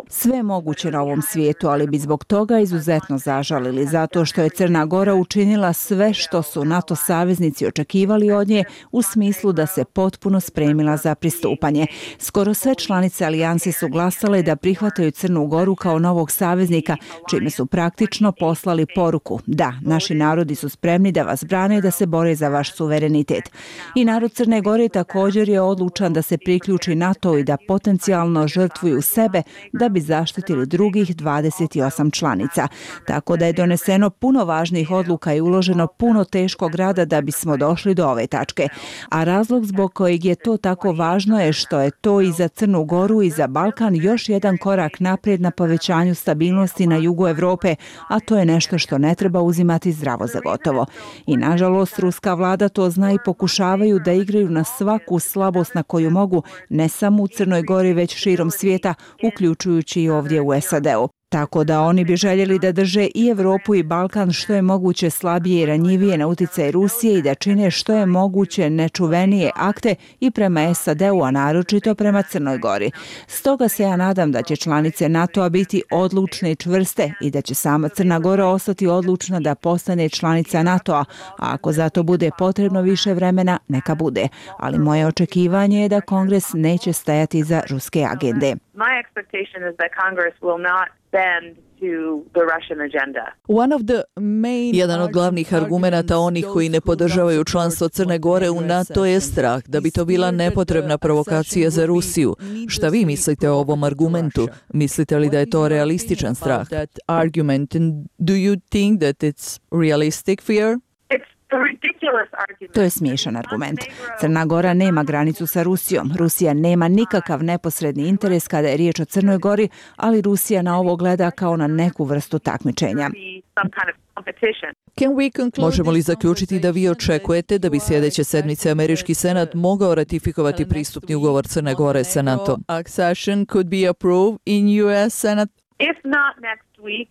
Sve je moguće na ovom svijetu, ali bi zbog toga izuzetno zažalili, zato što je Crna Gora učinila sve što su NATO saveznici očekivali od nje u smislu da se potpuno spremila za pristupanje. Skoro sve članice alijanse su glasale da prihvataju Crnu Goru kao novog saveznika, čime su praktično poslali poruku: da, naši narodi su spremni da vas brane i da se bore za vaš suverenitet. I narod Crne Gore također je odlučan da se priključi NATO i da potencijalno potencijalno žrtvuju sebe da bi zaštitili drugih dvadeset osam članica. Tako da je doneseno puno važnih odluka i uloženo puno teškog rada da bismo došli do ove tačke. A razlog zbog kojeg je to tako važno je što je to i za Crnu Goru i za Balkan još jedan korak naprijed na povećanju stabilnosti na jugu Evrope, a to je nešto što ne treba uzimati zdravo za gotovo. I nažalost, ruska vlada to zna i pokušavaju da igraju na svaku slabost na koju mogu, ne samo u Crnoj Gori, već širom svijeta, uključujući i ovdje u S A D-u. Tako da oni bi željeli da drže i Evropu i Balkan što je moguće slabije i ranjivije na uticaj Rusije i da čine što je moguće nečuvenije akte i prema S A D-u, a naročito prema Crnoj Gori. Stoga se ja nadam da će članice NATO-a biti odlučne i čvrste i da će sama Crna Gora ostati odlučna da postane članica NATO-a, a ako za to bude potrebno više vremena, neka bude. Ali moje očekivanje je da Kongres neće stajati za ruske agende. My expectation is that Congress will not bend to the Russian agenda. Jedan od glavnih argumenata onih koji ne podržavaju članstvo Crne Gore u NATO je strah da bi to bila nepotrebna provokacija za Rusiju. Šta vi mislite o ovom argumentu? Mislite li da je to realističan strah? Do you think that it's realistic fear? To je smiješan argument. Crna Gora nema granicu sa Rusijom. Rusija nema nikakav neposredni interes kada je riječ o Crnoj Gori, ali Rusija na ovo gleda kao na neku vrstu takmičenja. Možemo li zaključiti da vi očekujete da bi sljedeće sedmice američki senat mogao ratifikovati pristupni ugovor Crne Gore sa NATO? If not next week,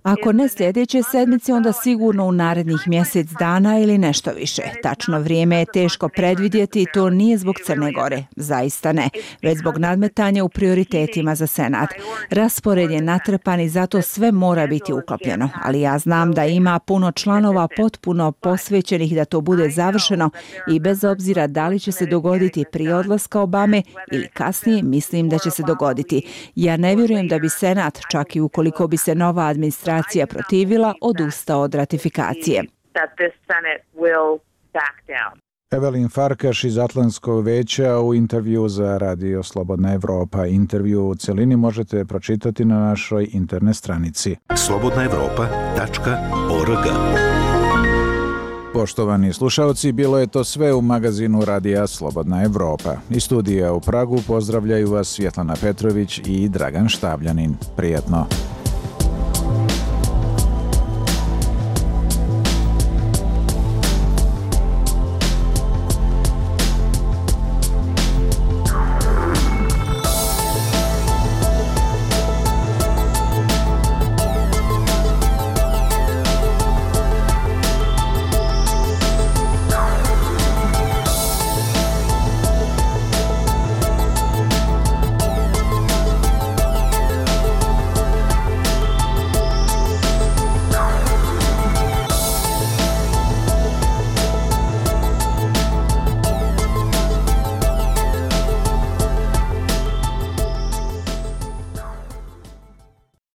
Ako ne sljedeće sedmice, onda sigurno u narednih mjesec dana ili nešto više. Tačno vrijeme je teško predvidjeti i to nije zbog Crne Gore. Zaista ne. Već zbog nadmetanja u prioritetima za Senat. Raspored je natrpan i zato sve mora biti uklopljeno. Ali ja znam da ima puno članova potpuno posvećenih da to bude završeno i bez obzira da li će se dogoditi prije odlaska Obame ili kasnije, mislim da će se dogoditi. Ja ne vjerujem da bi Senat, čak i ukoliko bi se nova administracija protivila, odustao od ratifikacije. Evelin Farkaš iz Atlantskog veća u intervju za Radio Slobodna Evropa. Intervju u celini možete pročitati na našoj internet stranici slobodna evropa tačka org. Poštovani slušalci, bilo je to sve u magazinu Radija Slobodna Evropa. Iz studija u Pragu pozdravljaju vas Svjetlana Petrović i Dragan Štavljanin. Prijetno.